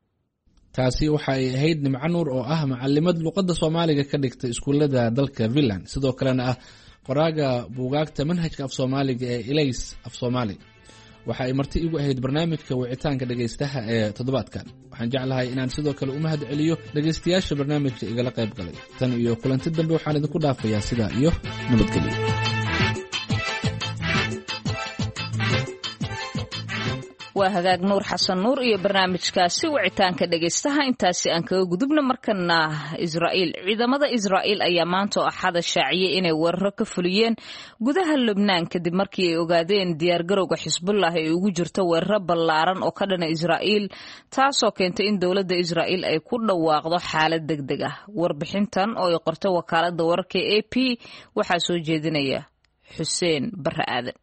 Taasi waxa ay ahayd Nimco Nuur oo ah macalimad luqadda Soomaaliga ka dhigta iskuullada dalka Finland, sidoo kalena ah qoraaga buugaagta manhajka af Soomaaliga ee Ilays af Soomaali. Waxa ay marti igu ahayd barnaamijka wicitaanka dhegaystaha ee toddobaadkan. Waxaan jeclahay inaan sidoo kale u mahad celiyo dhegaystayaasha barnaamijka igala qayb galay. Tan iyo kulanti dambe, waxaan idinku dhaafayaa sidaa iyo nabadgelyo. Waa hagaag, Nuur Xasan Nuur iyo barnaamijkaasi wicitaanka dhegaystaha intaasi aan kaga gudubna. Markana Israa'iil. Ciidamada Israa'iil ayaa maanta oo Axada shaaciyey inay weeraro ka fuliyeen gudaha Lubnaan, kadib markii ay ogaadeen diyaargarowga Xisbullah ay ugu jirto weeraro ballaaran oo ka dhana Israa'iil, taasoo keentay in dowladda Israa'iil ay ku dhawaaqdo xaalad deg deg ah. Warbixintan oo ay qortay wakaaladda wararka A P waxaa soo jeedinaya Xuseen Barre Aadan.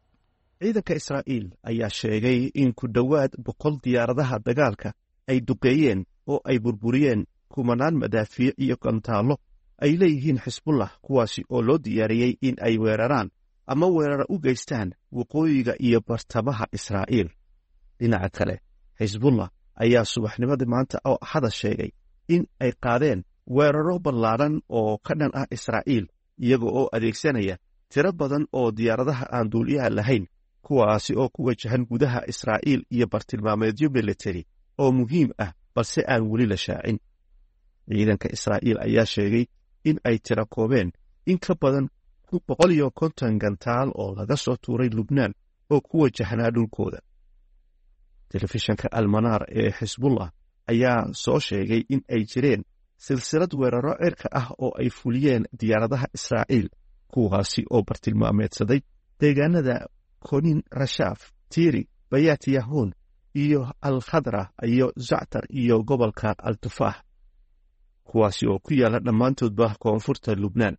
Ciidanka Israa'iil ayaa sheegay in ku dhowaad boqol diyaaradaha dagaalka ay duqeeyeen oo ay burburiyeen kumanaan madaafiic iyo gantaallo ay leeyihiin Xisbullah, kuwaasi oo loo diyaariyey in ay weeraraan ama weerara u geystaan waqooyiga iyo bartamaha Israa'iil. Dhinaca kale, Xisbullah ayaa subaxnimadii maanta oo Axada sheegay in ay qaadeen weeraro ballaaran oo ka dhan ah Israa'iil, iyaga oo adeegsanaya tiro badan oo diyaaradaha aan duuliyaha lahayn, kuwaasi oo ku wajahan gudaha Israa'iil iyo bartilmaameedyo militari oo muhiim ah, balse aan weli la shaacin. Ciidanka Israa'iil ayaa sheegay in ay tiro koobeen in ka badan boqol iyo konton gantaal oo laga soo tuuray Lubnaan oo ku wajahnaa dhulkooda. Telefishanka Almanaar ee Xisbullah ayaa soo sheegay in ay jireen silsilad weeraro cirka ah oo ay fuliyeen diyaaradaha Israa'iil, kuwaasi oo bartilmaameedsaday deegaanada Konin, Rashaaf, Tiiri, Bayat Yahuun iyo Al Khadra iyo Zactar iyo gobolka Al Tufaax, kuwaasi oo ku yaala dhammaantoodba koonfurta Lubnaan.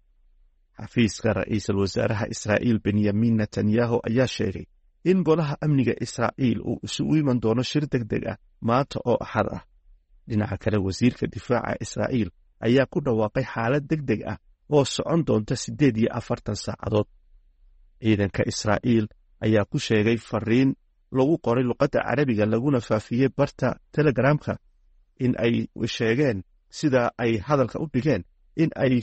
Xafiiska ra'iisul wasaaraha Israa'iil Benyamin Netanyahu ayaa sheegay in golaha amniga Israa'iil uu isugu iman doono shir deg deg ah maanta oo Axad ah. Dhinaca kale, wasiirka difaaca Israa'iil ayaa ku dhawaaqay xaalad deg deg ah oo socon doonta siddeed iyo afartan saacadood. Ciidanka Israa'iil ayaa ku sheegay fariin lagu qoray luqadda Carabiga laguna faafiyey barta Telegramka in ay sheegeen, sida ay hadalka u dhigeen, in ay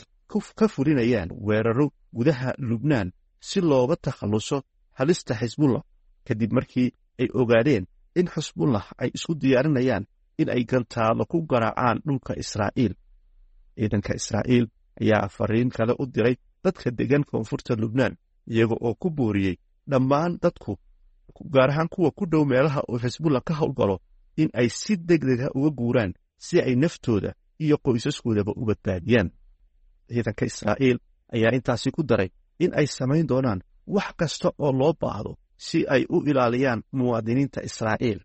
ka fulinayaan weeraro gudaha Lubnaan si looga takhalluso halista Xisbullah, kadib markii ay ogaadeen in Xisbullah ay isku diyaarinayaan in ay gantaalo ku garaacaan dhulka Israa'iil. Ciidanka Israa'iil ayaa fariin kale u diray dadka degan koonfurta Lubnaan, iyaga oo ku booriyey dhammaan dadku, gaar ahaan kuwa ku dhow meelaha uu Xisbullah ka howlgalo, in ay si degdega uga guuraan si ay naftooda iyo qoysaskoodaba u badbaadiyaan. Ciidanka Israa'iil ayaa intaasi ku daray in ay samayn doonaan wax kasta oo loo baahdo si ay u ilaaliyaan muwaadiniinta Israa'iil.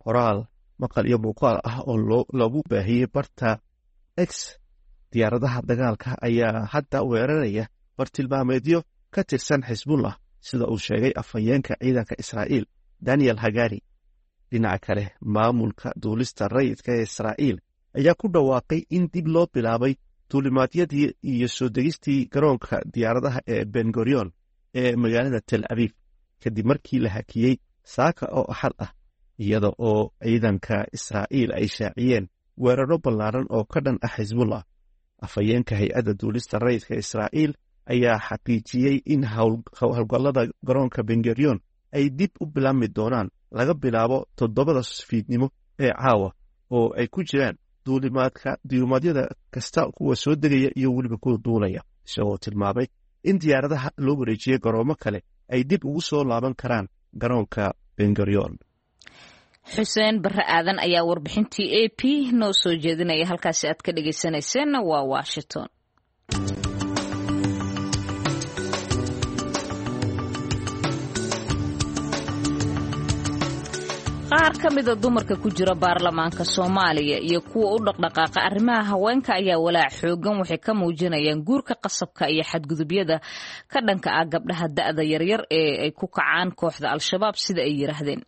Qoraal maqal iyo muuqaal ah oo lagu baahiyey barta X, diyaaradaha dagaalka ayaa hadda weeraraya bartilmaameedyo ka tirsan Xisbullah, sida uu sheegay afhayeenka ciidanka Israa'iil Daniel Hagari. Dhinaca kale, maamulka duulista rayidka ee Israa'iil ayaa ku dhawaaqay in dib loo bilaabay duulimaadyadii iyo soo degistii garoonka diyaaradaha ee Bengorion ee magaalada Tel Abiib, kadib markii la hakiyey saaka oo Axad ah, iyada oo ciidanka Israa'iil ay shaaciyeen weeraro ballaaran oo ka dhan ah Xisbullah. Afhayeenka hay-adda duulista rayidka Israa'iil ayaa xaqiijiyey in howlgallada garoonka Bengorion ay dib u bilaabmi doonaan laga bilaabo toddobada fiidnimo ee caawa, oo ay ku jiraan duulimaadka duulimaadyada kasta, kuwa soo degaya iyo weliba kuwa duulaya, isagoo tilmaamay in diyaaradaha loo wareejiyey garoomo kale ay dib ugu soo laaban karaan garoonka Bengorion. Xuseen Barre Aadan ayaa warbixintii A P noo soo jeedinaya. Halkaasi aad ka dhegaysanayseena waa Washington. Qaar ka mida dumarka ku jira baarlamaanka Soomaaliya iyo kuwa u dhaqdhaqaaqa arrimaha haweenka ayaa walaac xoogan waxay ka muujinayaan guurka qasabka iyo xadgudubyada ka dhanka ah gabdhaha da'da yaryar ee ay ku kacaan kooxda Al-Shabaab, sida ay yiraahdeen.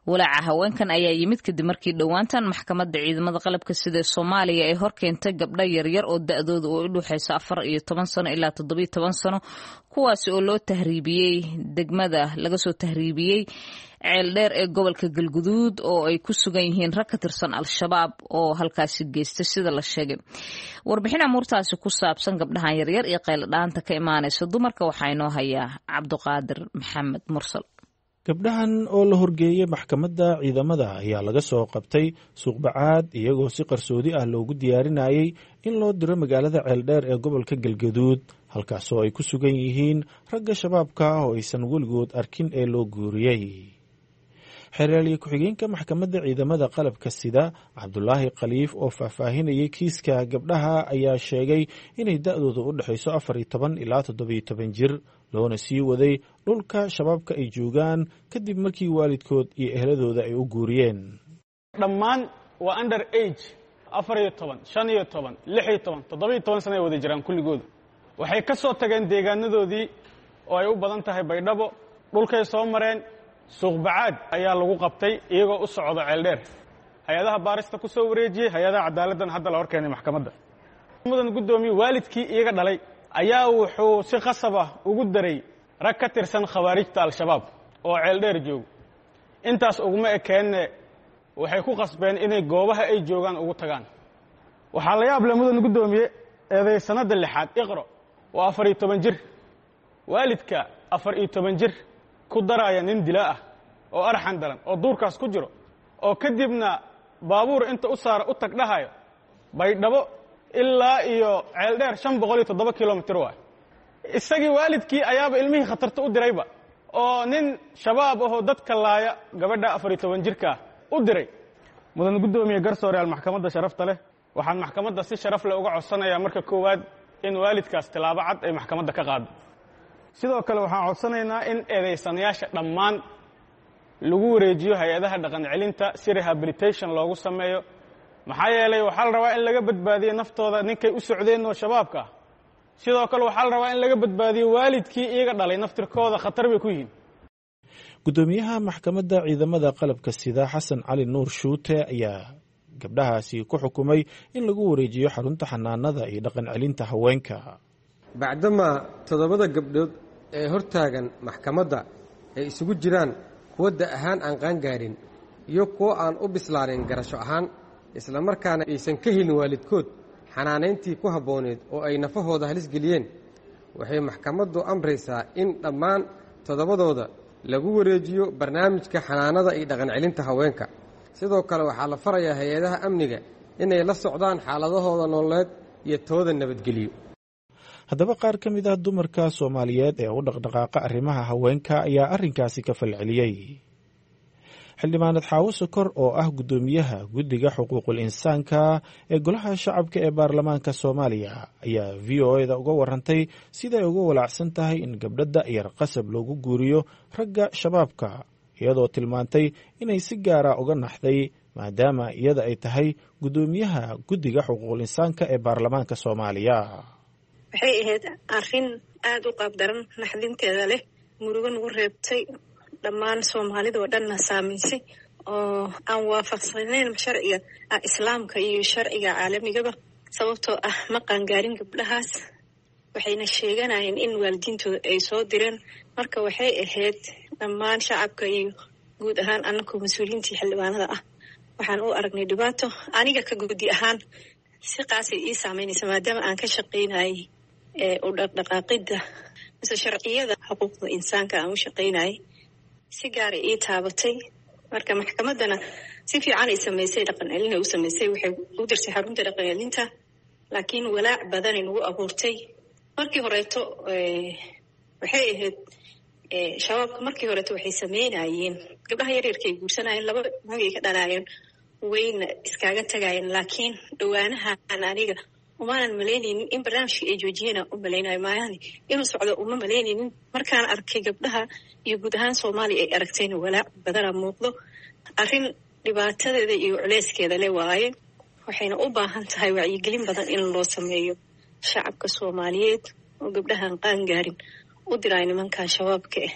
Walaaca haweenkan ayaa yimid kadib markii dhowaantan maxkamadda ciidamada qalabka sida Soomaaliya ay horkeentay gabdho yaryar oo da'doodu u dhuxayso afar iyo toban sano ilaa toddobiyo toban sano, kuwaasi oo loo tahriibiyey degmada laga soo tahriibiyey Ceeldheer ee gobolka Galguduud oo ay ku sugan yihiin rag ka tirsan Al-Shabaab oo halkaasi geystay, sida la sheegay. Warbixin amuurtaasi ku saabsan gabdhahan yaryar iyo qayladhaanta ka imaanaysa dumarka waxaa inoo hayaa Cabduqaadir Maxamed Mursal. Gabdhahan oo la horgeeyey maxkamadda ciidamada ayaa laga soo qabtay Suuqbacaad, iyagoo si qarsoodi ah loogu diyaarinayay in loo diro magaalada Ceeldheer ee gobolka Galgaduud, halkaasoo ay ku sugan yihiin ragga shabaabka ah oo aysan weligood arkin ee loo guuriyey. Xeeraalye ku-xigeenka maxkamadda ciidamada qalabka sida Cabdulaahi Khaliif oo faahfaahinayay kiiska gabdhaha ayaa sheegay inay da'dooda u dhexayso afar iyo toban ilaa toddobiyo toban jir, loona sii waday dhulka shabaabka ay joogaan kadib markii waalidkood iyo ehladooda ay u guuriyeen. Dhammaan waa under age, afar iyo toban, shan iyo toban, lix iyo toban, toddobiyo toban sana ay wada jiraan kulligooda. Waxay ka soo tageen deegaanadoodii oo ay u badan tahay Baydhabo. Dhulkay soo mareen, Suuqbacaad ayaa lagu qabtay iyagoo u socda Ceeldheer. Hay-adaha baarista ku soo wareejiyey, hay-adaha cadaaladdan hadda la hor keenay maxkamadda. Mudan guddoomiye, waalidkii iyaga dhalay ayaa wuxuu si khasab ah ugu daray rag ka tirsan khawaarijta Al-Shabaab oo Ceeldheer joogo. Intaas uguma ekeenne, waxay ku qasbeen inay goobaha ay joogaan ugu tagaan. Waxaa la yaab leh, mudan guddoomiye, eedaysanadda lixaad Iqro waa afar iyo toban jir. Waalidka afar iyo toban jir ku daraaya nin dilaa ah oo arxan daran oo duurkaas ku jiro, oo kadibna baabuur inta u saara u tag dhahayo Baydhabo ilaa iyo Ceeldheer shan boqol iyo toddoba kilomitir waay. Isagii waalidkii ayaaba ilmihii khatarta u dirayba oo nin shabaab ahoo dadka laaya gabadha afar iyo toban jirkaa u diray. Mudan guddoomiye, garsooreyaal maxkamadda sharafta leh, waxaan maxkamadda si sharaf leh uga codsanayaa marka koowaad in waalidkaas tilaabo cad ay maxkamadda ka qaado. Sidoo kale waxaan codsanaynaa in eedaysanayaasha dhammaan lagu wareejiyo hay-adaha dhaqan celinta si rehabilitation loogu sameeyo, maxaa yeelay waxaa la rabaa in laga badbaadiyo naftooda ninkay u socdeen oo shabaabka ah. Sidoo kale waxaa la rabaa in laga badbaadiyo waalidkii iyaga dhalay, naftirkooda khatar bay ku yihiin. Guddoomiyaha maxkamadda ciidamada qalabka sida Xasan Cali Nuur Shuute ayaa gabdhahaasi ku xukumay in lagu wareejiyo xarunta xanaanada iyo dhaqan celinta haweenka. Bacdamaa toddobada gabdhood ee hortaagan maxkamadda ay isugu jiraan kuwa da' ahaan aan qaangaarin iyo kuwo aan u bislaanin garasho ahaan, islamarkaana aysan ka helin waalidkood xanaanayntii ku habbooneed oo ay nafahooda halis geliyeen, waxay maxkamaddu amraysaa in dhammaan toddobadooda lagu wareejiyo barnaamijka xanaanada iyo dhaqan celinta haweenka. Sidoo kale waxaa la farayaa hay-adaha amniga inay la socdaan xaaladahooda nololeed iyo tooda nabadgeliyo. Haddaba qaar ka mid ah dumarka Soomaaliyeed ee u dhaqdhaqaaqa arrimaha haweenka ayaa arrinkaasi ka falceliyey. Xildhibaanad Xaawo Sokor oo ah guddoomiyaha guddiga xuquuqul insaanka ee golaha shacabka ee baarlamaanka Soomaaliya ayaa V O E da uga warantay siday uga walaacsan tahay in gabdho da'yar qasab loogu guuriyo ragga shabaabka, iyadoo tilmaantay inay si gaara uga naxday maadaama iyada ay tahay guddoomiyaha guddiga xuquuqul insaanka ee baarlamaanka Soomaaliya. Waxay ahayd arrin aada u qaabdaran, naxdinteeda leh, murugo nagu reebtay, dhammaan soomaalida oo dhanna saamaysay, oo aan waafaqsanayn sharciga islaamka iyo sharciga caalamigaba, sababtoo ah ma qaangaarin gabdhahaas, waxayna sheeganayeen in waalidiintooda ay soo direen. Marka waxay ahayd dhammaan shacabka iyo guud ahaan annakoo mas-uuliyiintii xildhibaanada ah waxaan u aragnay dhibaato. Aniga ka guddi ahaan si qaasay ii saameynaysa, maadaama aan ka shaqaynayay ee u dhaqdhaqaaqidda mise sharciyada xuquuqda insaanka aan u shaqaynayay, si gaaray ii taabatay. Marka maxkamaddana si fiican ay samaysay, dhaqan celin ay u samaysay, waxay u dirtay xarunta dhaqan celinta, laakiin walaac badanay nagu abuurtay. Markii horeeto waxay ahayd shabaabka markii horeeto waxay sameynayeen gabdhaha yaryarka ay guursanayeen, laba magay ka dhalaayeen, wayna iskaaga tagayeen. Laakiin dhowaanahan aniga umaanan malaynaynin in barnaamijkii ay joojiyeen u malaynayo, maayahani inuu socdo uma malaynaynin. Markaan arkay gabdhaha iyo guud ahaan Soomaaliya ay aragtayna walaac badana muuqdo. Arrin dhibaatadeeda iyo culeyskeeda le waaye, waxayna u baahan tahay wacyigelin badan in loo sameeyo shacabka Soomaaliyeed oo gabdhahan qaangaarin u diray nimankan shabaabka ah.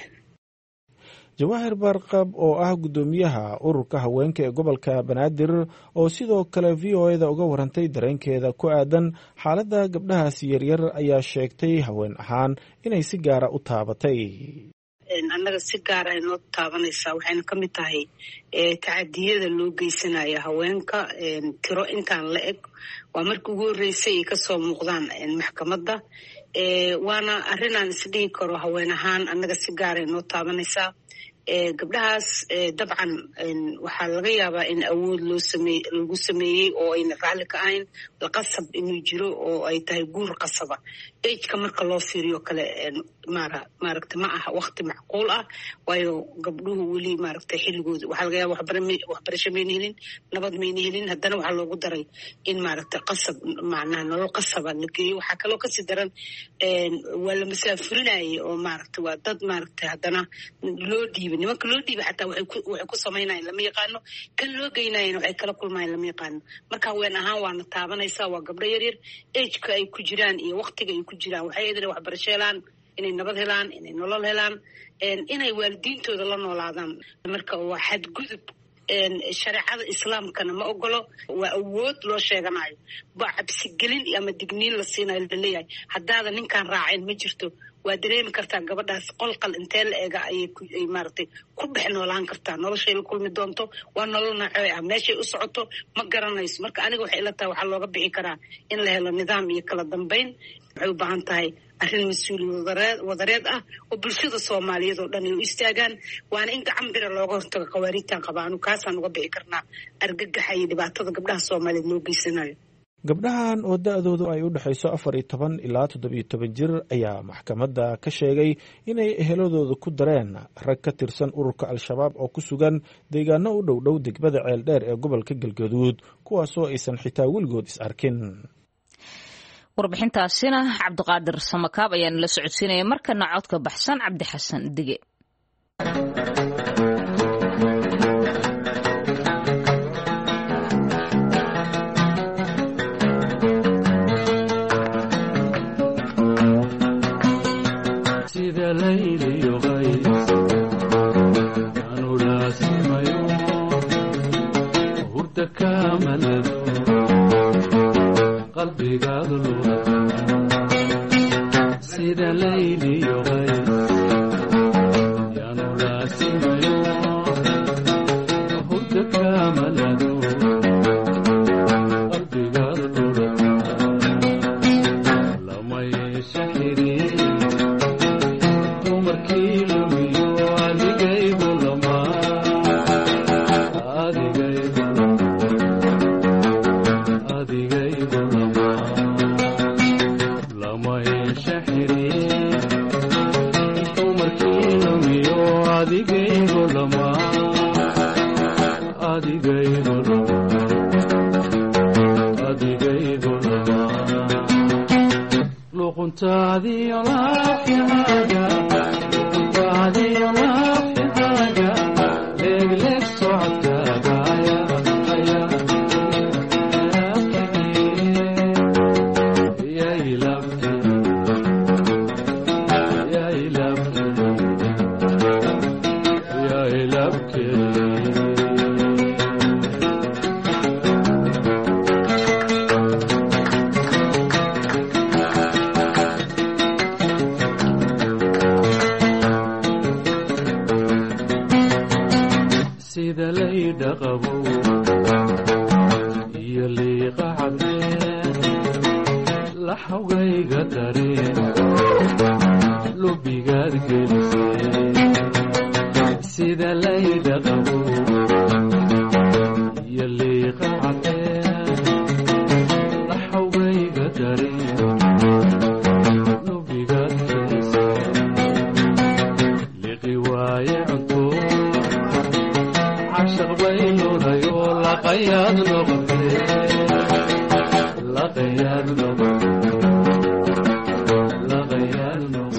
Jawaahir Baarqab oo ah guddoomiyaha ururka haweenka ee gobolka Banaadir oo sidoo kale V O E da uga warantay dareenkeeda ku aadan xaaladda gabdhahaasi yaryar ayaa sheegtay haween ahaan inay si gaara u taabatay. Annaga si gaara ay noo taabanaysaa, waxayna ka mid tahay tacadiyada loo geysanaya haweenka. Tiro intaan la eg waa markii ugu horreysay ay kasoo muuqdaan maxkamadda, waana arrinaan isdhihi karo haween ahaan annaga si gaara ay noo taabanaysaa. Gabdhahaas dabcan waxaa laga yaabaa in awood loo samey lagu sameeyey oo ayna raalli ka ahayn, qasab inuu jiro oo ay tahay guur qasaba. Ageka marka loo fiiriyo kale mara maaragta ma aha waqti macquul ah, waayo gabdhuhu weli maaragta xilligooda waxaa laga yaaba waxbarasho mayna helin, nabad mayna helin, haddana waxaa loogu daray in maaragta qasab, macnaha nolol qasaba la geeyo. Waxaa kaloo kasii daran waa la masaafurinayay oo maaragta waa dad maaragta haddana loo dhiibay. Nimanka loo dhiibay xataa waxay ku samaynayan lama yaqaano, kan loo geynayana waxay kala kulmayan lama yaqaano. Marka haween ahaan waana taabanaysaa, waa gabdho yaryar, ageka ay ku jiraan iyo waqtiga ay ku jiraan waxay eedana waxbarasho helaan, inay nabad helaan, inay nolol helaan, inay waalidiintooda la noolaadaan. Marka waa xadgudub, shareecada islaamkana ma ogolo, waa awood loo sheeganayo, waa cabsigelin ama digniin la siinayo laleeyahay haddaada ninkan raaceen ma jirto. Waa dareemi kartaa gabadhaas qolqal intee la eega ayay maaragtay ku dhex noolaan kartaa, noloshay la kulmi doonto waa nolol noocee ah, meeshay u socoto ma garanayso. Marka aniga waxay ila tahay waxaa looga bixi karaa in la helo nidaam iyo kala dambeyn. Waxay u baahan tahay arrin mas-uuliyad wadareed ah oo bulshada Soomaaliyeed oo dhan ay u istaagaan, waana in gacan bira looga hortago khawaariijtan qabaanu. Kaasaan uga bixi karnaa argagaxa iyo dhibaatada gabdhaha Soomaaliyeed loo geysanayo. Gabdhahan oo da-doodu ay u dhexayso afar iyo toban ilaa toddobiyo toban jir ayaa maxkamadda ka sheegay inay eheladooda ku dareen rag ka tirsan ururka Al-Shabaab oo ku sugan deegaano u dhow dhow degmada Ceeldheer ee gobolka Galgaduud, kuwaasoo aysan xitaa weligood is arkin. Warbixintaasina Cabdiqaadir Samakaab ayaa nala socodsiinaya. Markana codka baxsan Cabdi Xasan Dige.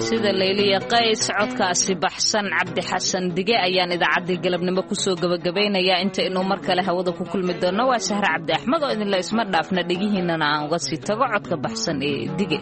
Sida Layliya Qays, codkaasi baxsan Cabdi Xasan Dige ayaan idaacaddii galabnimo kusoo gabagabaynayaa. Inta inuu mar kale hawada ku kulmi doonno, waa Sahre Cabdi Axmed oo idinla isma dhaafna, dhegihiinana aan uga sii tago codka baxsan ee Dige.